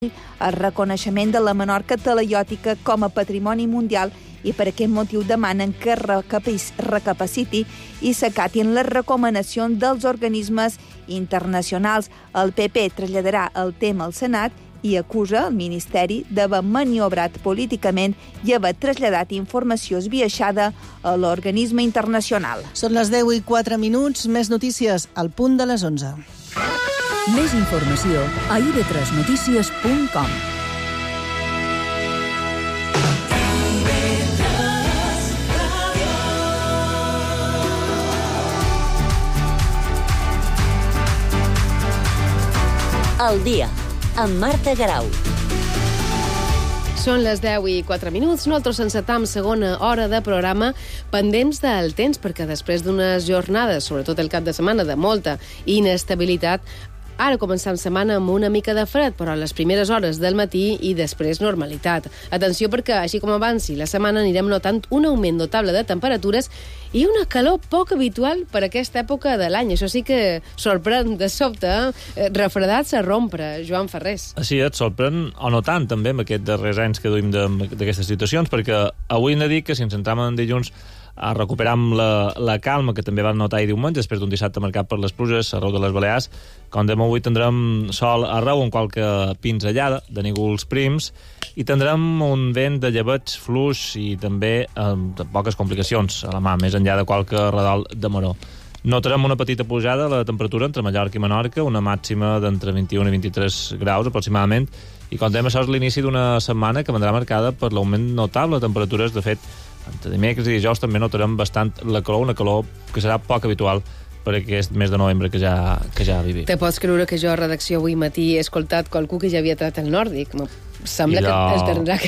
el reconeixement de la Menorca talaiòtica com a patrimoni mundial i per aquest motiu demanen que recapaciti i s'acatin les recomanacions dels organismes internacionals. El PP traslladarà el tema al Senat i acusa el Ministeri d'haver maniobrat políticament i haver traslladat informació esbiaixada a l'organisme internacional. Són les 10:04, més notícies al punt de les 11. Més informació a ib3notícies.com. El dia, amb Marta Garau. Són les 10:04. Nosaltres encetam segona hora de programa pendents del temps, perquè després d'unes jornades, sobretot el cap de setmana, de molta inestabilitat, ara començam setmana amb una mica de fred, però a les primeres hores del matí i després normalitat. Atenció, perquè així com avanci la setmana anirem notant un augment notable de temperatures i una calor poc habitual per aquesta època de l'any. Això sí que sorprèn de sobte, refredats a rompre, Joan Ferrés. Així et sorprèn, o no tant, també, amb aquests darrers anys que duim d'aquestes situacions, perquè avui hem de dir que si ens centram en dilluns recuperam la calma que també vam notar ahir diumenge, després d'un dissabte marcat per les pluges arreu de les Balears. Com dèiem, avui tindrem sol arreu amb qualque pinzellada de nígols prims i tindrem un vent de llebeig fluix i també amb poques complicacions a la mà, més enllà de qualque redol de maror. Notarem una petita pujada a la temperatura entre Mallorca i Menorca, una màxima d'entre 21 i 23 graus aproximadament, i com dèiem, això és l'inici d'una setmana que vendrà marcada per l'augment notable de temperatures. De fet, entre dimecres i dijous també notarem bastant la calor, una calor que serà poc habitual per aquest mes de novembre que ja vivim. Te pots creure que jo a redacció avui matí he escoltat qualcú que ja havia tret el nòrdic? Sembla que es tindrà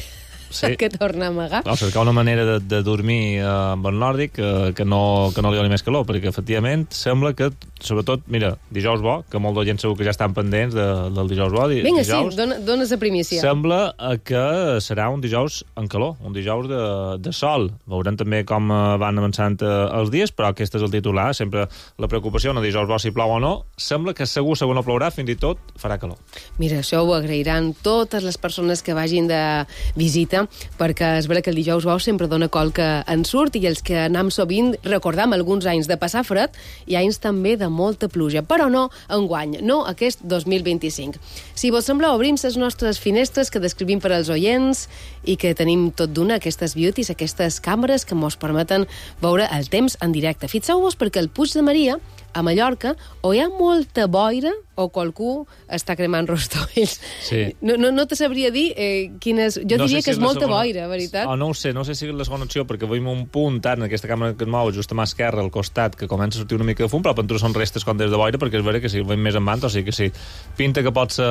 que tornar a amagar. O cercar una manera de dormir amb el nòrdic que no li doni més calor, perquè efectivament sembla que, sobretot, mira, dijous bo, que molt de gent segur que ja estan pendents del dijous bo. Vinga, dijous, sí, dones la primícia. Sembla que serà un dijous en calor, un dijous de sol. Veurem també com van avançant els dies, però aquest és el titular. Sempre la preocupació, un dijous bo si plou o no. Sembla que segur no plourà, fins i tot farà calor. Mira, això ho agrairan totes les persones que vagin de visita, perquè és vera que el dijous bo sempre dona qualque ensurt i els que anam sovint recordam alguns anys de passar fred i anys també de molta pluja, però no enguany, no aquest 2025. Si vos sembla, obrim les nostres finestres que descrivim per als oients i que tenim tot d'una, aquestes beauties, aquestes càmeres que mos permeten veure el temps en directe. Fixeu-vos perquè el Puig de Maria, a Mallorca, o hi ha molta boira o qualcú està cremant rostolls. Sí. No te sabria dir quines... Jo diria que és molta boira, veritat? No ho sé, no sé si és la segona opció, perquè veiem un punt en aquesta càmera que et mou just a mà esquerra, al costat, que comença a sortir una mica de fum, però per són restes com des de boira, perquè és vera que si veiem més en banda, o sigui que sí, pinta que pot ser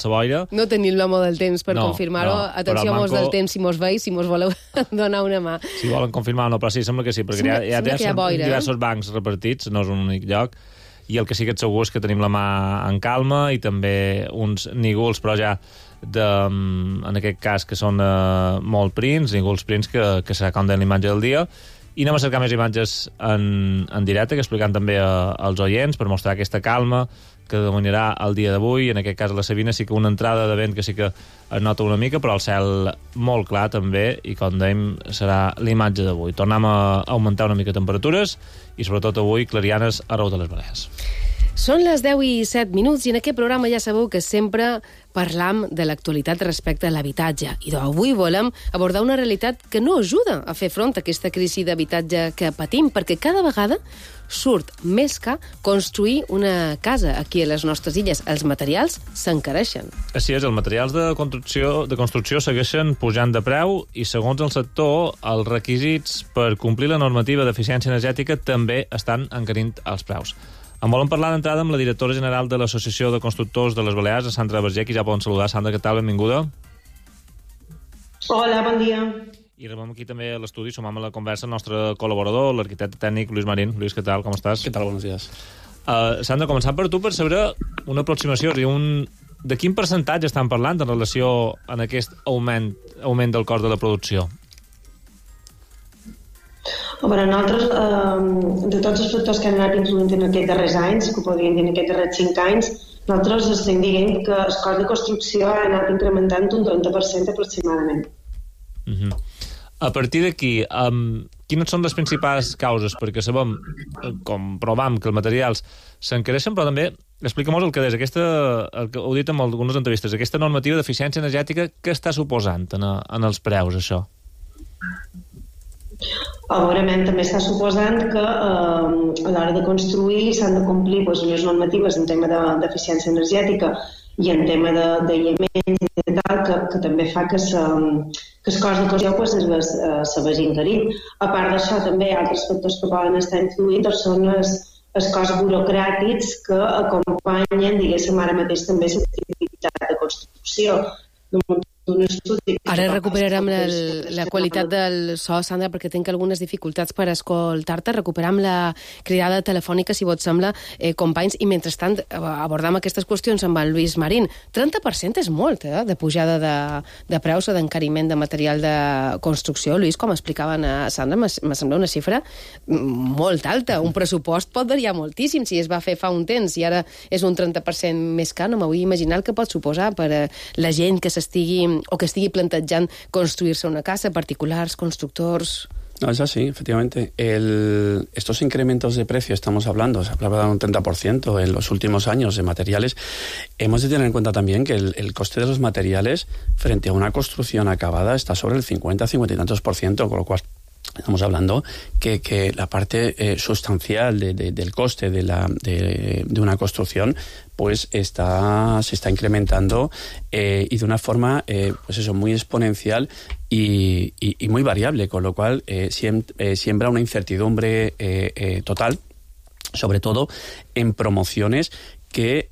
boira. No tenim l'home del temps per confirmar-ho. Atenció, mos del temps, si mos veus, si mos voleu donar una mà. Si volen confirmar o no, però sí, sembla que sí, perquè hi ha diversos bancs repartits, no és un únic lloc, i el que sí que et segur és que tenim la mà en calma i també uns nígols, però ja en aquest cas que són molt prims, nígols prims que serà com de l'imatge del dia. I anem a cercar més imatges en directe, que explicant també als oients per mostrar aquesta calma que dominarà el dia d'avui. En aquest cas a la Sabina sí que una entrada de vent que sí que es nota una mica, però el cel molt clar també, i com dèiem serà l'imatge d'avui. Tornem a augmentar una mica temperatures i sobretot avui clarianes arreu de les Balears. Són les 10:07 i en aquest programa ja sabeu que sempre parlam de l'actualitat respecte a l'habitatge. I avui volem abordar una realitat que no ajuda a fer front a aquesta crisi d'habitatge que patim, perquè cada vegada surt més car construir una casa aquí a les nostres illes. Els materials s'encareixen. Així és, els materials de construcció segueixen pujant de preu i, segons el sector, els requisits per complir la normativa d'eficiència energètica també estan encarint els preus. En volem parlar d'entrada amb la directora general de l'Associació de Constructors de les Balears, Sandra Berger, qui ja poden saludar. Sandra, què tal? Benvinguda. Hola, bon dia. I rebem aquí també a l'estudi, sumam a la conversa el nostre col·laborador, l'arquitecte tècnic Luis Marín. Luis, què tal? Com estàs? Què tal? Buenos días. Sandra, començant per tu, per saber una aproximació, de quin percentatge estan parlant en relació a aquest augment del cost de la producció? Nosaltres, de tots els factors que han anat influint en aquests darrers anys, que podríem dir en aquests darrers 5 anys, Nosaltres estem dient que el cost de construcció ha anat incrementant un 30% aproximadament. A partir d'aquí, quines són les principals causes? Perquè sabem, comprovem que els materials s'encareixen, però també explica-mos el que és, el que heu dit en algunes entrevistes, aquesta normativa d'eficiència energètica, què està suposant en els preus, això? Segurament també està suposant que a l'hora de construir s'han de complir unes normatives en tema d'eficiència energètica i en tema d'aïllament i tal, que també fa que el cost de construcció se vagi encarint. A part d'això, també altres factors que poden estar influint són els costs burocràtics que acompanyen, diguéssim, ara mateix també l'activitat de construcció. Ara recuperarem la qualitat del so, Sandra, perquè tinc algunes dificultats per escoltar-te. Recuperem la cridada telefònica, si vos sembla, companys, i mentrestant abordam aquestes qüestions amb el Lluís Marín. 30% és molt, de pujada de preus o d'encariment de material de construcció. Lluís, com explicaven a Sandra, me sembla una xifra molt alta. Un pressupost pot variar moltíssim si es va fer fa un temps i ara és un 30% més car. No m'ho vull imaginar el que pot suposar per la gent que estigui plantejant construirse una casa, particulares, constructors. No, es así, efectivamente. Estos incrementos de precio, se hablaba de un 30% en los últimos años de materiales. Hemos de tener en cuenta también que el coste de los materiales frente a una construcción acabada está sobre el 50 y tantos %, con lo cual estamos hablando que la parte sustancial del coste de una construcción pues se está incrementando y de una forma muy exponencial y muy variable, con lo cual siembra una incertidumbre total, sobre todo en promociones que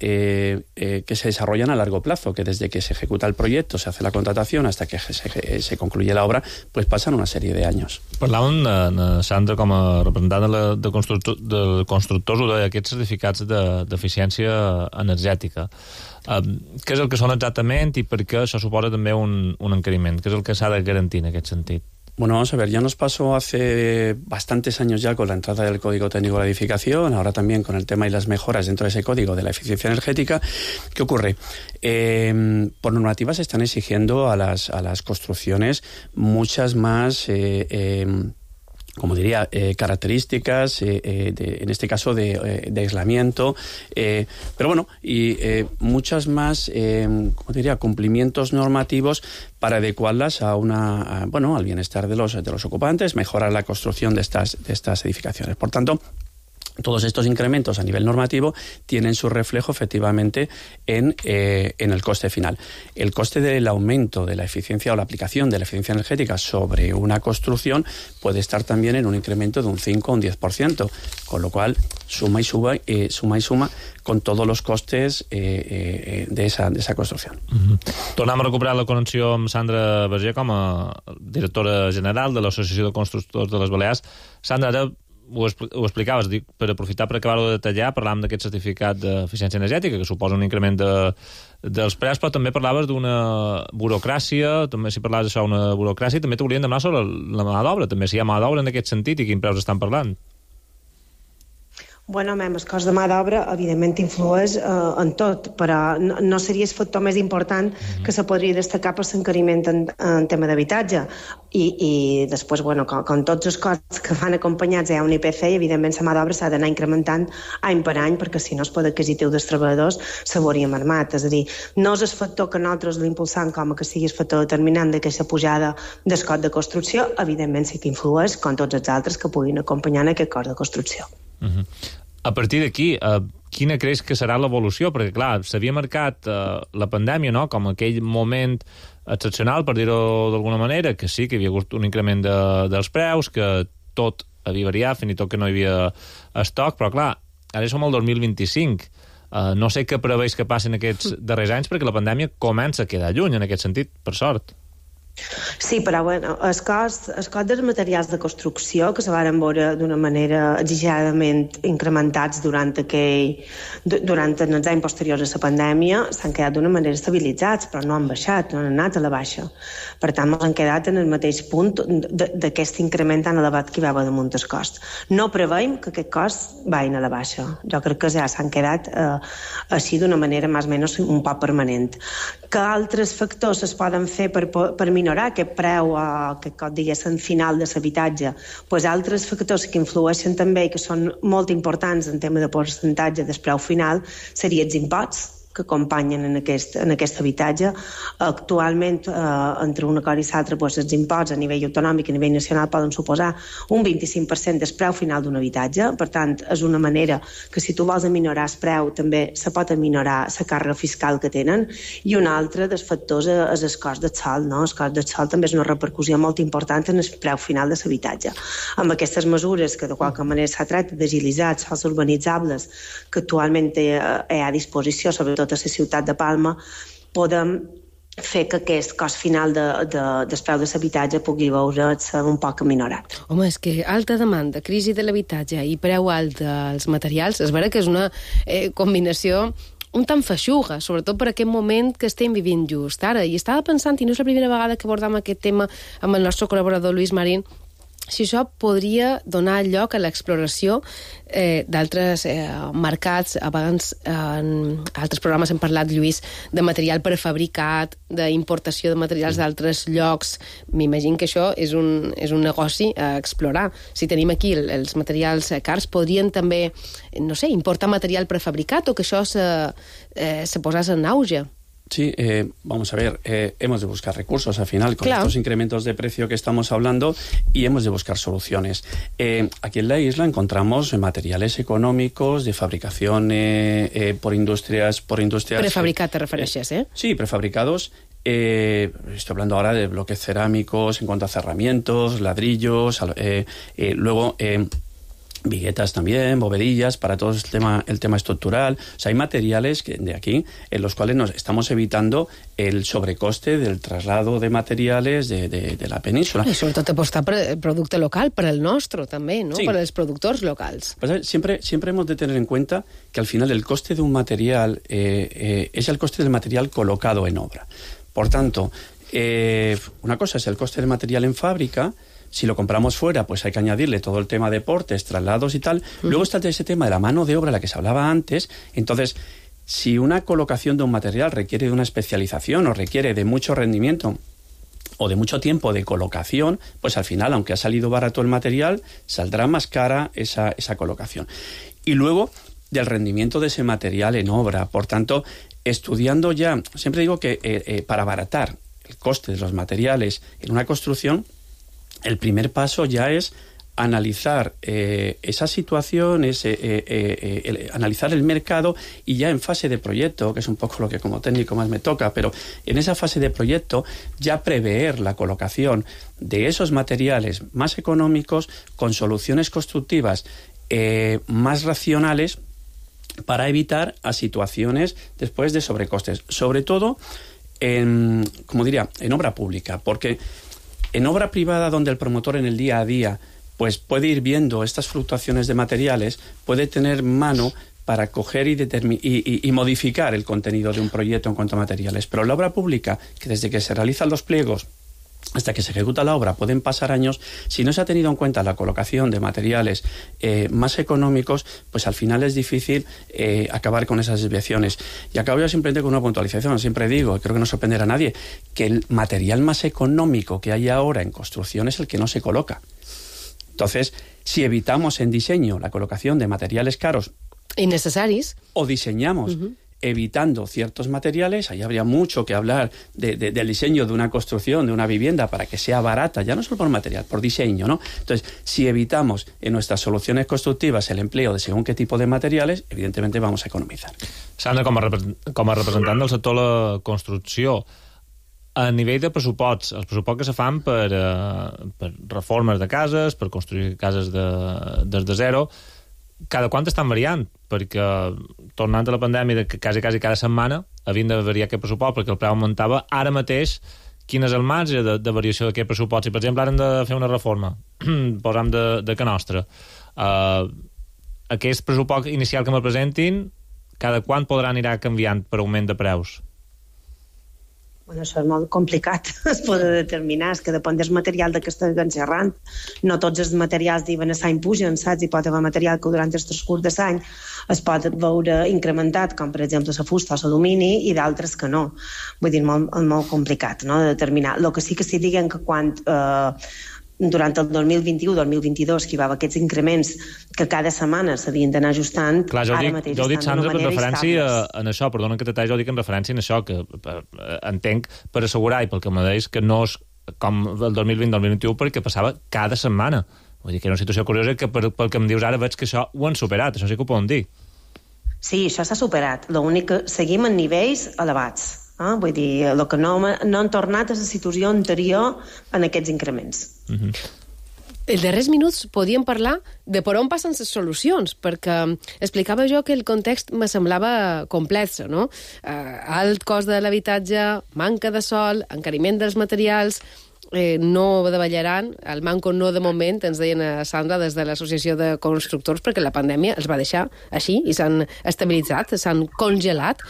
se desarrollan a largo plazo, que desde que se ejecuta el proyecto, se hace la contratación, hasta que se concluye la obra, pues pasan una serie de años. Parlàvem, Sandra, com a representant de constructors, ho deia, aquests certificats d'eficiència energètica. Què és el que són exactament i per què això suposa també un encariment? Què és el que s'ha de garantir en aquest sentit? Bueno, vamos a ver, ya nos pasó hace bastantes años ya con la entrada del Código Técnico de la Edificación, ahora también con el tema y las mejoras dentro de ese código de la eficiencia energética. ¿Qué ocurre? Por normativa se están exigiendo a las construcciones muchas más características, en este caso de aislamiento, pero bueno, y muchas más, cumplimientos normativos para adecuarlas al bienestar de los ocupantes, mejorar la construcción de estas edificaciones. Por tanto, todos estos incrementos a nivel normativo tienen su reflejo efectivamente en el coste final. El coste del aumento de la eficiencia o la aplicación de la eficiencia energética sobre una construcción puede estar también en un incremento de un 5 o un 10%, con lo cual suma y suma con todos los costes de esa construcción. Tornem a recuperar la connexió amb Sandra Berger com a directora general de l'Associació de Constructors de les Balears. Sandra, ara ho explicaves, per aprofitar per acabar-ho de detallar, parlàvem d'aquest certificat d'eficiència energètica, que suposa un increment dels preus, però també parlaves d'una burocràcia, també si parlaves d'això, una burocràcia, també t'haurien de demanar sobre la mà d'obra, també si hi ha mà d'obra en aquest sentit i quins preus estan parlant. Bueno, el cost de mà d'obra, evidentment, influeix en tot, però no seria el factor més important que se podria destacar per l'encariment en tema d'habitatge. I després, bueno, com tots els costs que van acompanyats hi ha un IPC i, evidentment, la mà d'obra s'ha d'anar incrementant any per any, perquè si no el poder adquisitiu dels treballadors se veuria mermat. És a dir, no és el factor que nosaltres l'impulsam com que sigui el factor determinant d'aquesta pujada del cost de construcció, evidentment sí que influeix, com tots els altres que puguin acompanyar en aquest cost de construcció. A partir d'aquí, quina creus que serà l'evolució? Perquè, clar, s'havia marcat la pandèmia, no?, com aquell moment excepcional, per dir-ho d'alguna manera, que sí que hi havia hagut un increment dels preus, que tot havia variat, fins i tot que no hi havia estoc, però, clar, ara som al 2025. No sé què preveus que passi en aquests darrers anys, perquè la pandèmia comença a quedar lluny, en aquest sentit, per sort. Sí, però bueno, el cost dels materials de construcció, que se van veure d'una manera exageradament incrementats durant els anys posteriors a la pandèmia, s'han quedat d'una manera estabilitzats, però no han baixat, no han anat a la baixa. Per tant, han quedat en el mateix punt d'aquest increment tan elevat que hi va haver damunt el cost. No preveiem que aquest cost vagin a la baixa. Jo crec que ja s'han quedat així d'una manera més o menys un poc permanent. Que altres factors es poden fer per minorar aquest preu aquest cop diguéssim final de l'habitatge, doncs altres factors que influeixen també i que són molt importants en tema de percentatge del preu final serien els imposts que acompanyen en aquest habitatge. Actualment, entre una cosa i l'altra, doncs, els imposts a nivell autonòmic i a nivell nacional poden suposar un 25% del preu final d'un habitatge. Per tant, és una manera que si tu vols aminorar el preu, també se pot aminorar la càrrega fiscal que tenen. I un altre dels factors és el cost del sòl. No? El cost del sòl també és una repercussió molt important en el preu final de l'habitatge. Amb aquestes mesures, que de qualque manera s'ha tractat d'agilitzar els sòls urbanitzables que actualment hi ha a disposició, sobretot a la ciutat de Palma, podem fer que aquest cost final del preu de l'habitatge pugui veure's un poc aminorat. Home, és que alta demanda, crisi de l'habitatge i preu alt dels materials, és vera que és una combinació un tant feixuga, sobretot per aquest moment que estem vivint just ara. I estava pensant, i no és la primera vegada que abordam aquest tema amb el nostre col·laborador Lluís Marín, si això podria donar lloc a l'exploració d'altres mercats. Abans en altres programes hem parlat, Lluís, de material prefabricat, d'importació de materials d'altres llocs. M'imagino que això és un negoci a explorar. Si tenim aquí els materials cars, podrien també, no sé, importar material prefabricat o que això se posés en auge. Sí, vamos a ver, hemos de buscar recursos al final con estos incrementos de precio que estamos hablando y hemos de buscar soluciones. Aquí en la isla encontramos materiales económicos de fabricación por industrias... Prefabricat te refereixes, Sí, prefabricados. Estoy hablando ahora de bloques cerámicos en cuanto a cerramientos, ladrillos, luego... viguetas también, bovedillas, para todo el tema estructural. O sea, hay materiales de aquí en los cuales nos estamos evitando el sobrecoste del traslado de materiales de la península. I sobretot apostar per el producte local, per el nostre també, ¿no? Sí. Per els productors locals. Pues, siempre hemos de tener en cuenta que al final el coste de un material es el coste del material colocado en obra. Por tanto, una cosa es el coste del material en fábrica. Si lo compramos fuera, pues hay que añadirle todo el tema de portes, traslados y tal. Luego está ese tema de la mano de obra, la que se hablaba antes. Entonces, si una colocación de un material requiere de una especialización o requiere de mucho rendimiento o de mucho tiempo de colocación, pues al final, aunque ha salido barato el material, saldrá más cara esa colocación. Y luego, del rendimiento de ese material en obra. Por tanto, estudiando ya, siempre digo que para abaratar el coste de los materiales en una construcción, el primer paso ya es analizar esa situación, analizar el mercado y ya en fase de proyecto, que es un poco lo que como técnico más me toca, pero en esa fase de proyecto ya prever la colocación de esos materiales más económicos con soluciones constructivas más racionales para evitar a situaciones después de sobrecostes, sobre todo en obra pública, porque en obra privada, donde el promotor en el día a día pues puede ir viendo estas fluctuaciones de materiales, puede tener mano para coger y modificar el contenido de un proyecto en cuanto a materiales. Pero en la obra pública, que desde que se realizan los pliegos hasta que se ejecuta la obra pueden pasar años, si no se ha tenido en cuenta la colocación de materiales más económicos, pues al final es difícil acabar con esas desviaciones. Y acabo yo simplemente con una puntualización. Siempre digo, y creo que no sorprenderá a nadie, que el material más económico que hay ahora en construcción es el que no se coloca. Entonces, si evitamos en diseño la colocación de materiales caros innecessaris o diseñamos evitando ciertos materiales, ahí habría mucho que hablar del diseño de una construcción, de una vivienda, para que sea barata, ya no solo por material, por diseño, ¿no? Entonces, si evitamos en nuestras soluciones constructivas el empleo de según qué tipo de materiales, evidentemente vamos a economizar. Sandra, com a representant del sector de la construcció, a nivell de pressuposts, els pressuposts que se fan per reformes de cases, per construir cases des de zero, cada quant estan variant? Perquè, tornant a la pandèmia, quasi cada setmana havien de variar aquest pressupost perquè el preu augmentava. Ara mateix, quin és el marge de variació d'aquest pressupost. Si, per exemple, ara hem de fer una reforma, posam de que nostra, aquest pressupost inicial que me presentin, cada quant podrà anirà canviant per augment de preus? Bueno, això és molt complicat, es pot determinar, és que depèn del material de què estiguen xerrant. No tots els materials diuen a l'any pugen, saps? Hi pot haver material que durant el transcurs de l'any es pot veure incrementat, com per exemple la fusta o l'alumini, i d'altres que no. Vull dir, molt complicat, no?, de determinar. El que sí diguen que quan durant el 2021-2022 que hi va haver aquests increments que cada setmana s'havien d'anar ajustant. Clar, jo ho dic, Sandra, per referència en això, perdona que t'atall, jo dic en referència en això, que entenc per assegurar i pel que me deies que no és com el 2020-2021 perquè passava cada setmana. Vull dir que era una situació curiosa que pel que em dius ara veig que això ho han superat, això sí que ho poden dir. Sí, això s'ha superat, l'únic que seguim en nivells elevats. Vull dir, el que no han tornat a la situació anterior en aquests increments. Els darrers minuts podíem parlar de per on passen les solucions, perquè explicava jo que el context me semblava complex, no? Alt cost de l'habitatge, manca de sòl, encariment dels materials, no davallaran, el manco no de moment, ens deien a Sandra des de l'Associació de Constructors, perquè la pandèmia els va deixar així i s'han estabilitzat, s'han congelat.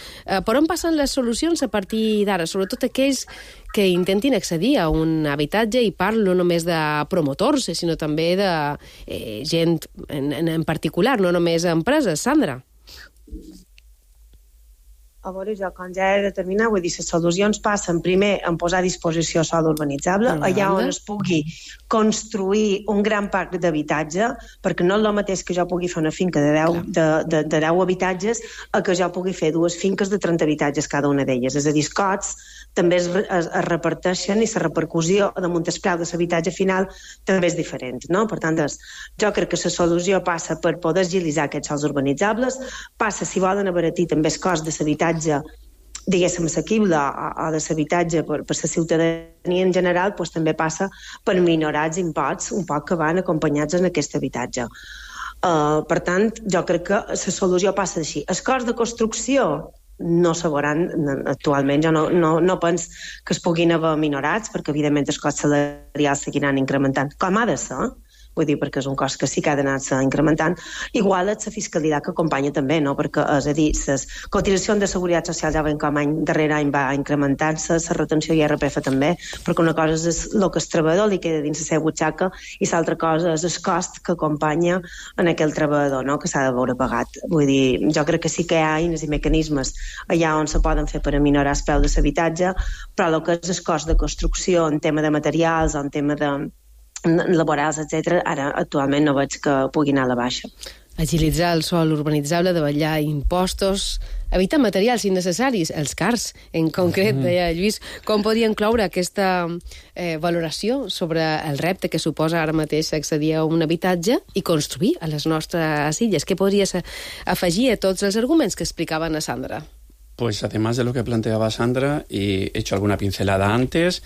Per on passen les solucions a partir d'ara? Sobretot aquells que intentin accedir a un habitatge, i parlo no només de promotors, sinó també de gent en particular, no només empreses. Sandra? A veure, jo, com ja he determinat, vull dir, les solucions passen primer en posar a disposició sòl urbanitzable, allà on es pugui construir un gran parc d'habitatge, perquè no és el mateix que jo pugui fer una finca de 10 habitatges a que jo pugui fer 2 finques de 30 habitatges cada una d'elles. És a dir, els cots també es reparteixen i la repercussió damunt el preu de l'habitatge final també és diferent, no? Per tant, jo crec que la solució passa per poder agilitzar aquests sòls urbanitzables, passa, si volen abaratir també el cost de l'habitatge, diguéssim, assequible o de l'habitatge per la ciutadania en general, doncs també passa per minorar els imposts un poc que van acompanyats en aquest habitatge. Per tant, jo crec que la solució passa així. El cost de construcció no se veuran actualment, jo no penso que es puguin haver minorats, perquè evidentment els costs salarials seguiran incrementant, com ha de ser, vull dir, perquè és un cost que sí que ha d'anar-se incrementant. Igual és la fiscalitat que acompanya també, no? Perquè, és a dir, les cotitzacions de seguretat social ja ven com darrere any va incrementant-se, la retenció IRPF també, perquè una cosa és el que el treballador li queda dins la seva butxaca i l'altra cosa és el cost que acompanya en aquell treballador, no?, que s'ha de veure pagat. Vull dir, jo crec que sí que hi ha eines i mecanismes allà on se poden fer per aminorar el preu de l'habitatge, però el que és el cost de construcció en tema de materials o en tema de laborals, etc., ara actualment no veig que pugui anar a la baixa. Agilitzar el sòl urbanitzable, davallar impostos, evitar materials innecessaris, els cars, en concret, deia Lluís. Com podia incloure aquesta valoració sobre el repte que suposa ara mateix accedir a un habitatge i construir a les nostres illes? Què podries afegir a tots els arguments que explicaven a Sandra? Pues además de lo que planteaba Sandra, y he hecho alguna pincelada antes,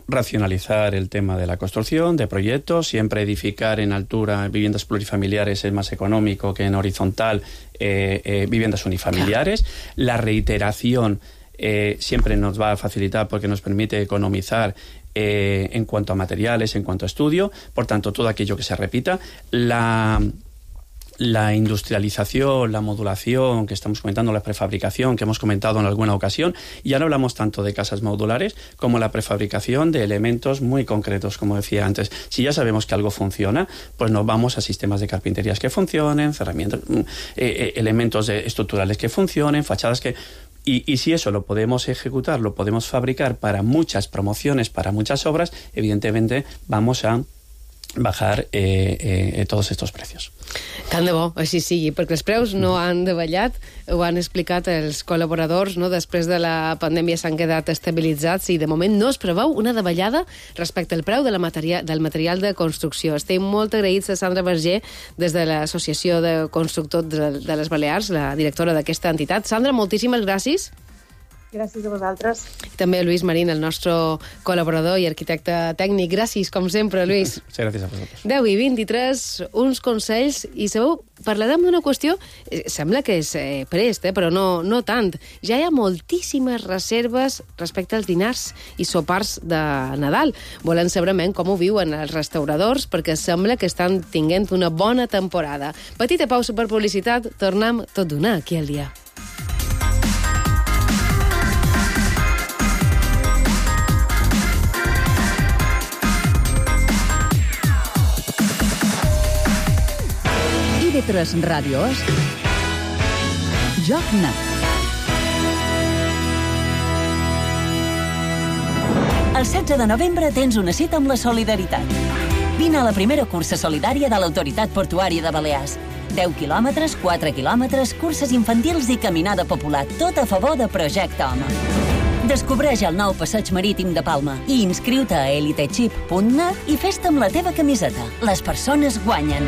racionalizar el tema de la construcción, de proyectos, siempre edificar en altura viviendas plurifamiliares es más económico que en horizontal viviendas unifamiliares. La reiteración siempre nos va a facilitar porque nos permite economizar en cuanto a materiales, en cuanto a estudio, por tanto todo aquello que se repita. La industrialización, la modulación que estamos comentando, la prefabricación que hemos comentado en alguna ocasión, ya no hablamos tanto de casas modulares como la prefabricación de elementos muy concretos, como decía antes. Si ya sabemos que algo funciona, pues nos vamos a sistemas de carpinterías que funcionen, cerramientos, elementos estructurales que funcionen, fachadas que... Y si eso lo podemos ejecutar, lo podemos fabricar para muchas promociones, para muchas obras, evidentemente vamos a bajar tots aquests preus. Tant de bo, així sigui, perquè els preus no han davallat, ho han explicat els col·laboradors, no? Després de la pandèmia s'han quedat estabilitzats i de moment no es preveu una davallada respecte al preu del material de construcció. Estem molt agraïts a Sandra Vergé des de l'Associació de Constructors de les Balears, la directora d'aquesta entitat. Sandra, moltíssimes gràcies. Gràcies a vosaltres. També Lluís Marín, el nostre col·laborador i arquitecte tècnic. Gràcies, com sempre, Lluís. Sí, gràcies a vosaltres. 10:23, uns consells, i sabeu, parlarem d'una qüestió, sembla que és prest, però no tant. Ja hi ha moltíssimes reserves respecte als dinars i sopars de Nadal. Volem saber com ho viuen els restauradors, perquè sembla que estan tinguent una bona temporada. Petita pausa per publicitat, tornem tot d'una aquí al dia. IB3 Ràdios, Joc Net. El 16 de novembre tens una cita amb la solidaritat. Vine a la primera cursa solidària de l'Autoritat Portuària de Balears. 10 quilòmetres, 4 quilòmetres, curses infantils i caminada popular, tot a favor de Projecte Home. Descobreix el nou passeig marítim de Palma i inscriu-te a elitechip.net i fes-te amb la teva camiseta. Les persones guanyen.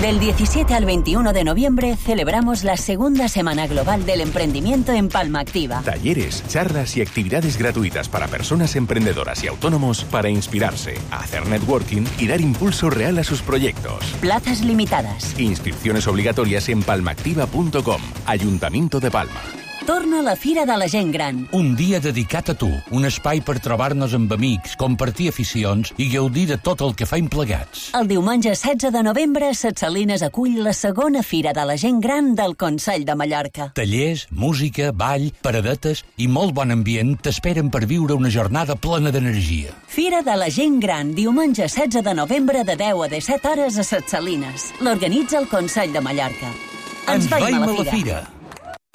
Del 17 al 21 de noviembre celebramos la segunda Semana Global del Emprendimiento en Palma Activa. Talleres, charlas y actividades gratuitas para personas emprendedoras y autónomos para inspirarse, hacer networking y dar impulso real a sus proyectos. Plazas limitadas. Inscripciones obligatorias en palmaactiva.com. Ayuntamiento de Palma. Torna la Fira de la Gent Gran. Un dia dedicat a tu, un espai per trobar-nos amb amics, compartir aficions i gaudir de tot el que faim plegats. El diumenge 16 de novembre, Ses Salines acull la segona Fira de la Gent Gran del Consell de Mallorca. Tallers, música, ball, paradetes i molt bon ambient t'esperen per viure una jornada plena d'energia. Fira de la Gent Gran, diumenge 16 de novembre de 10 a 17 hores a Ses Salines. L'organitza el Consell de Mallorca. Ens veiem a la fira.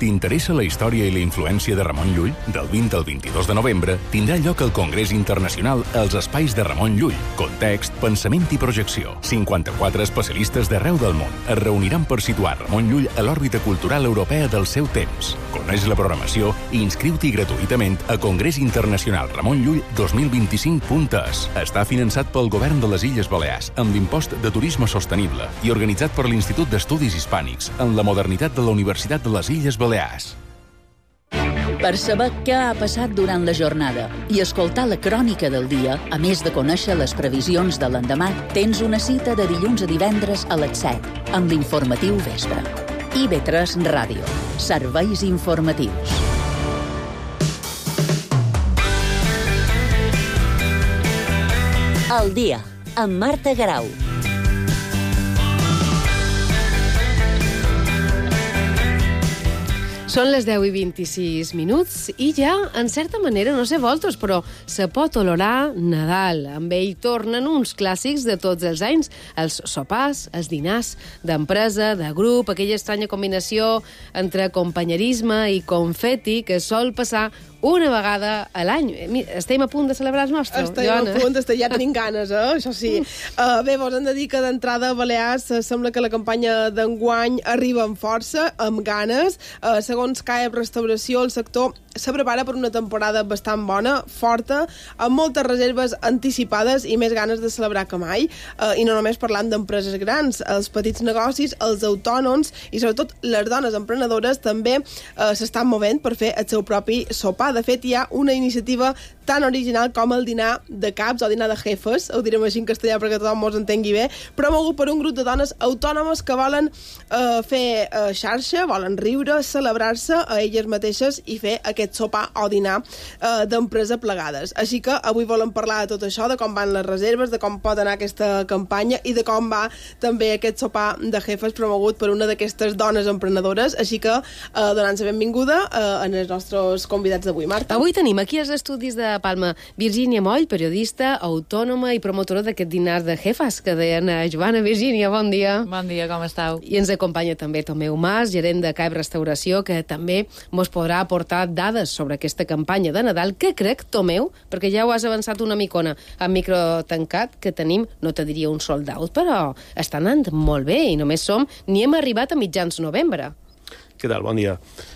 T'interessa la història i la influència de Ramon Llull? Del 20 al 22 de novembre tindrà lloc el Congrés Internacional als Espais de Ramon Llull. Context, pensament i projecció. 54 especialistes d'arreu del món es reuniran per situar Ramon Llull a l'òrbita cultural europea del seu temps. Coneix la programació i inscriu-t'hi gratuïtament a Congrés Internacional Ramon Llull 2025.es. Està finançat pel Govern de les Illes Balears amb l'impost de turisme sostenible i organitzat per l'Institut d'Estudis Hispànics en la modernitat de la Universitat de les Illes Balears. Per saber què ha passat durant la jornada i escoltar la crònica del dia, a més de conèixer les previsions de l'endemà, tens una cita de dilluns a divendres a les 7 amb l'informatiu Vespre. IB3 Ràdio. Serveis informatius. El dia, amb Marta Garau. Són les 10:26 i ja, en certa manera, no sé vosaltres, però se pot olorar Nadal. Amb ell tornen uns clàssics de tots els anys, els sopars, els dinars d'empresa, de grup, aquella estranya combinació entre companyerisme i confeti que sol passar una vegada a l'any. Estem a punt de celebrar el nostre, Estem a punt, ja tenim ganes, això sí. Bé, vos hem de dir que d'entrada a Balears sembla que la campanya d'enguany arriba amb força, amb ganes. Segons CAEB Restauració, el sector se prepara per una temporada bastant bona, forta, amb moltes reserves anticipades i més ganes de celebrar que mai. I no només parlant d'empreses grans, els petits negocis, els autònoms i sobretot les dones emprenedores també s'estan movent per fer el seu propi sopar. De fet, hi ha una iniciativa tan original com el dinar de caps o dinar de jefes, ho direm així en castellà perquè tothom mos entengui bé, promogut per un grup de dones autònomes que volen fer xarxa, volen riure, celebrar-se a elles mateixes i fer aquest sopar o dinar d'empresa plegades. Així que avui volem parlar de tot això, de com van les reserves, de com pot anar aquesta campanya i de com va també aquest sopar de jefes promogut per una d'aquestes dones emprenedores. Així que donant-se benvinguda en els nostres convidats d'avui. Marta. Avui tenim aquí als estudis de Palma Virgínia Moll, periodista, autònoma i promotora d'aquest dinar de jefes que deien a Joana. Virgínia, bon dia. Bon dia, com esteu? I ens acompanya també Tomeu Mas, gerent de CAEB Restauració, que també mos podrà aportar dades sobre aquesta campanya de Nadal, que crec, Tomeu, perquè ja ho has avançat una micona amb micro tancat, que tenim, no te diria un sold out, però està anant molt bé i només ni hem arribat a mitjans novembre. Què tal? Bon dia.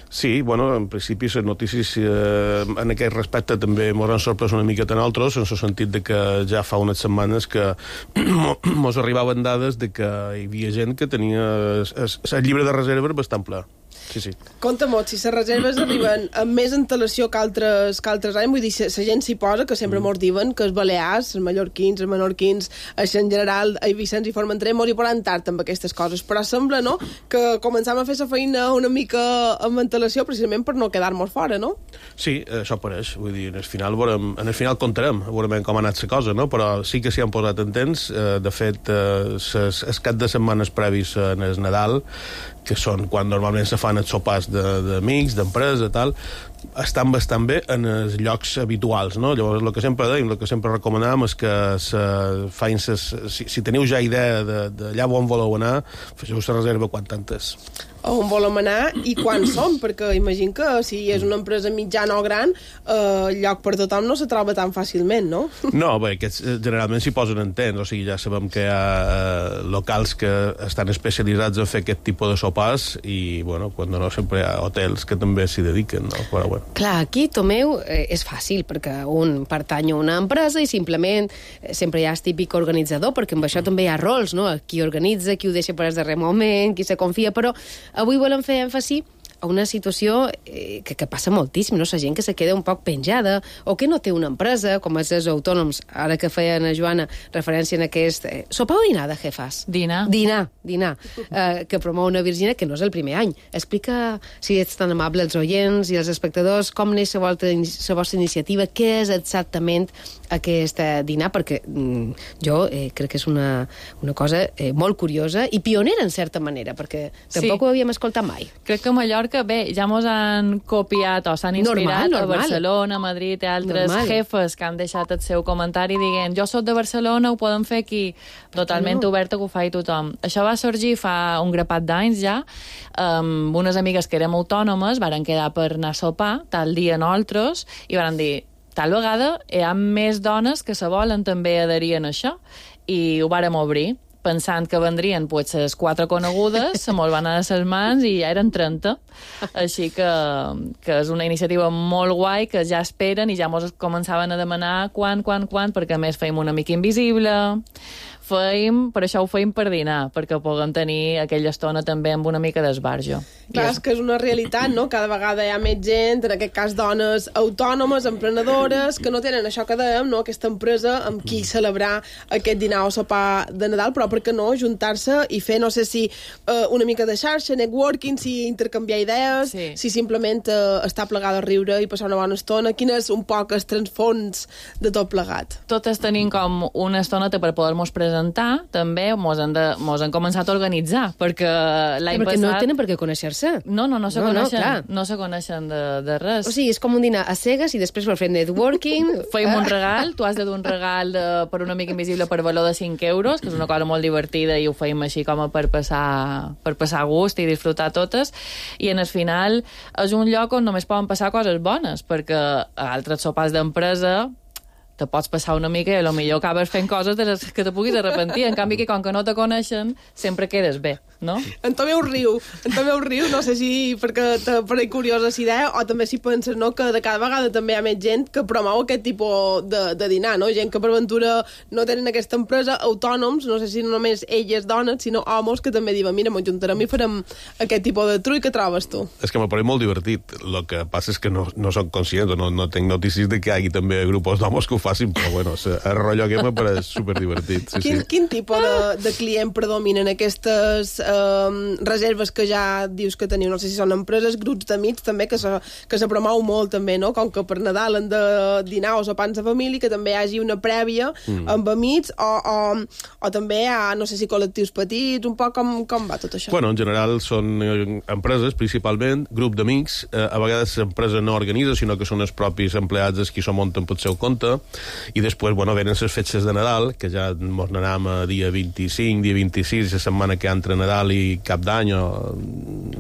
Sí, bueno, en principi les notícies en aquest respecte també ens han sorprès una miqueta a nosaltres, en el sentit de que ja fa unes setmanes que ens arribaven dades de que hi havia gent que tenia el llibre de reserves bastant ple. Sí. Compte molt, si les reserves arriben amb més antelació que altres anys, vull dir, la gent s'hi posa, que sempre mos diuen que els balears, els mallorquins, els menorquins, en general, a Vicenç i Formentera, mos hi poran tard amb aquestes coses, però sembla, no?, que començam a fer la feina una mica amb antelació precisament per no quedar-nos fora, no? Sí, això pareix, vull dir, en el final comptarem, veurem com ha anat la cosa, no?, però sí que s'hi han posat en temps. De fet, els cap de setmanes previs en el Nadal, que són quan normalment se fan els sopars d'amics, d'empresa, tal, estan bastant bé en els llocs habituals, no? Llavors, el que sempre deim, el que sempre recomanam és que si teniu ja idea d'allà on voleu anar, feu la reserva quan tantes. On volem anar i quan som, perquè imagino que si és una empresa mitjana o gran, el lloc per tothom no se troba tan fàcilment, no? No, bé, aquests generalment s'hi posen en temps, o sigui, ja sabem que hi ha locals que estan especialitzats en fer aquest tipus de sopars i, bueno, quan no, sempre hi ha hotels que també s'hi dediquen, no? Però, bueno. Clar, aquí, Tomeu, és fàcil, perquè un pertany a una empresa i simplement sempre hi ha el típic organitzador, perquè amb això també hi ha rols, no? Qui organitza, qui ho deixa per al darrer moment, qui se confia, però avui volem fer èmfasi a una situació que passa moltíssim, no? La gent que se queda un poc penjada o que no té una empresa, com els autònoms, ara que feia a Joana referència en aquest sopar o dinar de jefes? Dinar, que promou una Virginia, que no és el primer any. Explica, si ets tan amable, als oients i als espectadors, com neix la vostra iniciativa, què és exactament aquest dinar, perquè jo crec que és una cosa molt curiosa i pionera, en certa manera, perquè tampoc ho havíem escoltat mai. Crec que a Mallorca, bé, ja mos han copiat o s'han inspirat a Barcelona, Madrid i altres jefes que han deixat el seu comentari dient jo soc de Barcelona, ho podem fer aquí, totalment obert a que ho faci tothom. Això va sorgir fa un grapat d'anys ja, amb unes amigues que érem autònomes, varen quedar per anar a sopar, tal dia nosaltres, i varen dir tal vegada hi ha més dones que se volen també adherir a això, i ho vàrem obrir, pensant que vendrien les 4 conegudes, se me'l van anar a les mans i ja eren 30. Així que és una iniciativa molt guai, que ja esperen i ja mos començaven a demanar quan, perquè a més feim una mica invisible, per això ho feim per dinar, perquè puguem tenir aquella estona també amb una mica d'esbarjo. Clar, és que és una realitat, no? Cada vegada hi ha més gent, en aquest cas dones autònomes, emprenedores, que no tenen això que dèiem, no? Aquesta empresa amb qui celebrar aquest dinar o sopar de Nadal, però per què no juntar-se i fer, no sé si una mica de xarxa, networking, si intercanviar idees, si simplement estar plegada a riure i passar una bona estona. Quin és un poc el transfons de tot plegat? Totes tenim com una estoneta per poder-nos presentar, també mos han començat a organitzar, perquè l'any passat... Perquè no tenen per què conèixer-se. No se coneixen de res. O sigui, és com un dinar a cegues i després per fer networking... Feim un regal, tu has de dur un regal per un amic invisible per valor de 5 euros, que és una cosa molt divertida i ho feim així com per passar gust i disfrutar totes, i en el final és un lloc on només poden passar coses bones, perquè a altres sopars d'empresa te pots passar una mica i potser acabes fent coses de les que te puguis arrepentir. En canvi, que com que no te coneixen, sempre quedes bé, no? En Tomeu riu, no sé si perquè te pareix curiosa la idea o també si penses, no, que de cada vegada també hi ha més gent que promou aquest tipus de dinar, no? Gent que per ventura no tenen aquesta empresa, autònoms, no sé si no només elles dones, sinó homes que també diuen, mira, m'ho juntarem i farem aquest tipus de trull. Què trobes tu? És que m'ha pareix molt divertit. El que passa és que no soc conscient, no tinc notícies de que hi hagi també grupos d'homes que ho facin, però bueno, el rotllo aquest m'ha pareix superdivertit. Quin tipus de client predominen aquestes reserves que ja dius que teniu? No sé si són empreses, grups d'amics també, que se promou molt també, no? Com que per Nadal han de dinar o sopars de família, que també hi hagi una prèvia amb amics o també hi ha, no sé si col·lectius petits, un poc com va tot això? Bueno, en general són empreses, principalment, grup d'amics, a vegades l'empresa no organitza, sinó que són els propis empleats els qui s'ho munten pel seu compte, i després, bueno, venen les fetges de Nadal, que ja mos n'anam a dia 25, dia 26, la setmana que entre Nadal i Cap d'Any, o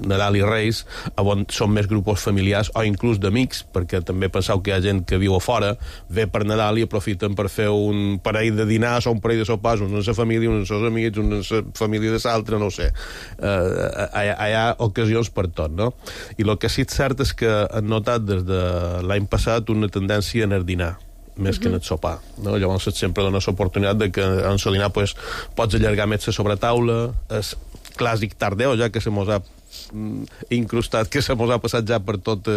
Nadal i Reis, on són més grups familiars o inclús d'amics, perquè també penseu que hi ha gent que viu a fora, ve per Nadal i aprofiten per fer un parell de dinars o un parell de sopars, uns en la família, uns en els amics, uns en la família de l'altre, no ho sé. Hi ha ocasions per tot, no? I el que sí és cert és que han notat des de l'any passat una tendència en el dinar, més que en el sopar, no? Llavors sempre dona l'oportunitat de que en el dinar pots allargar més la sobretaula, és clàssic tardeu, ja que se mos ha incrustat que se mos ha passat ja per tots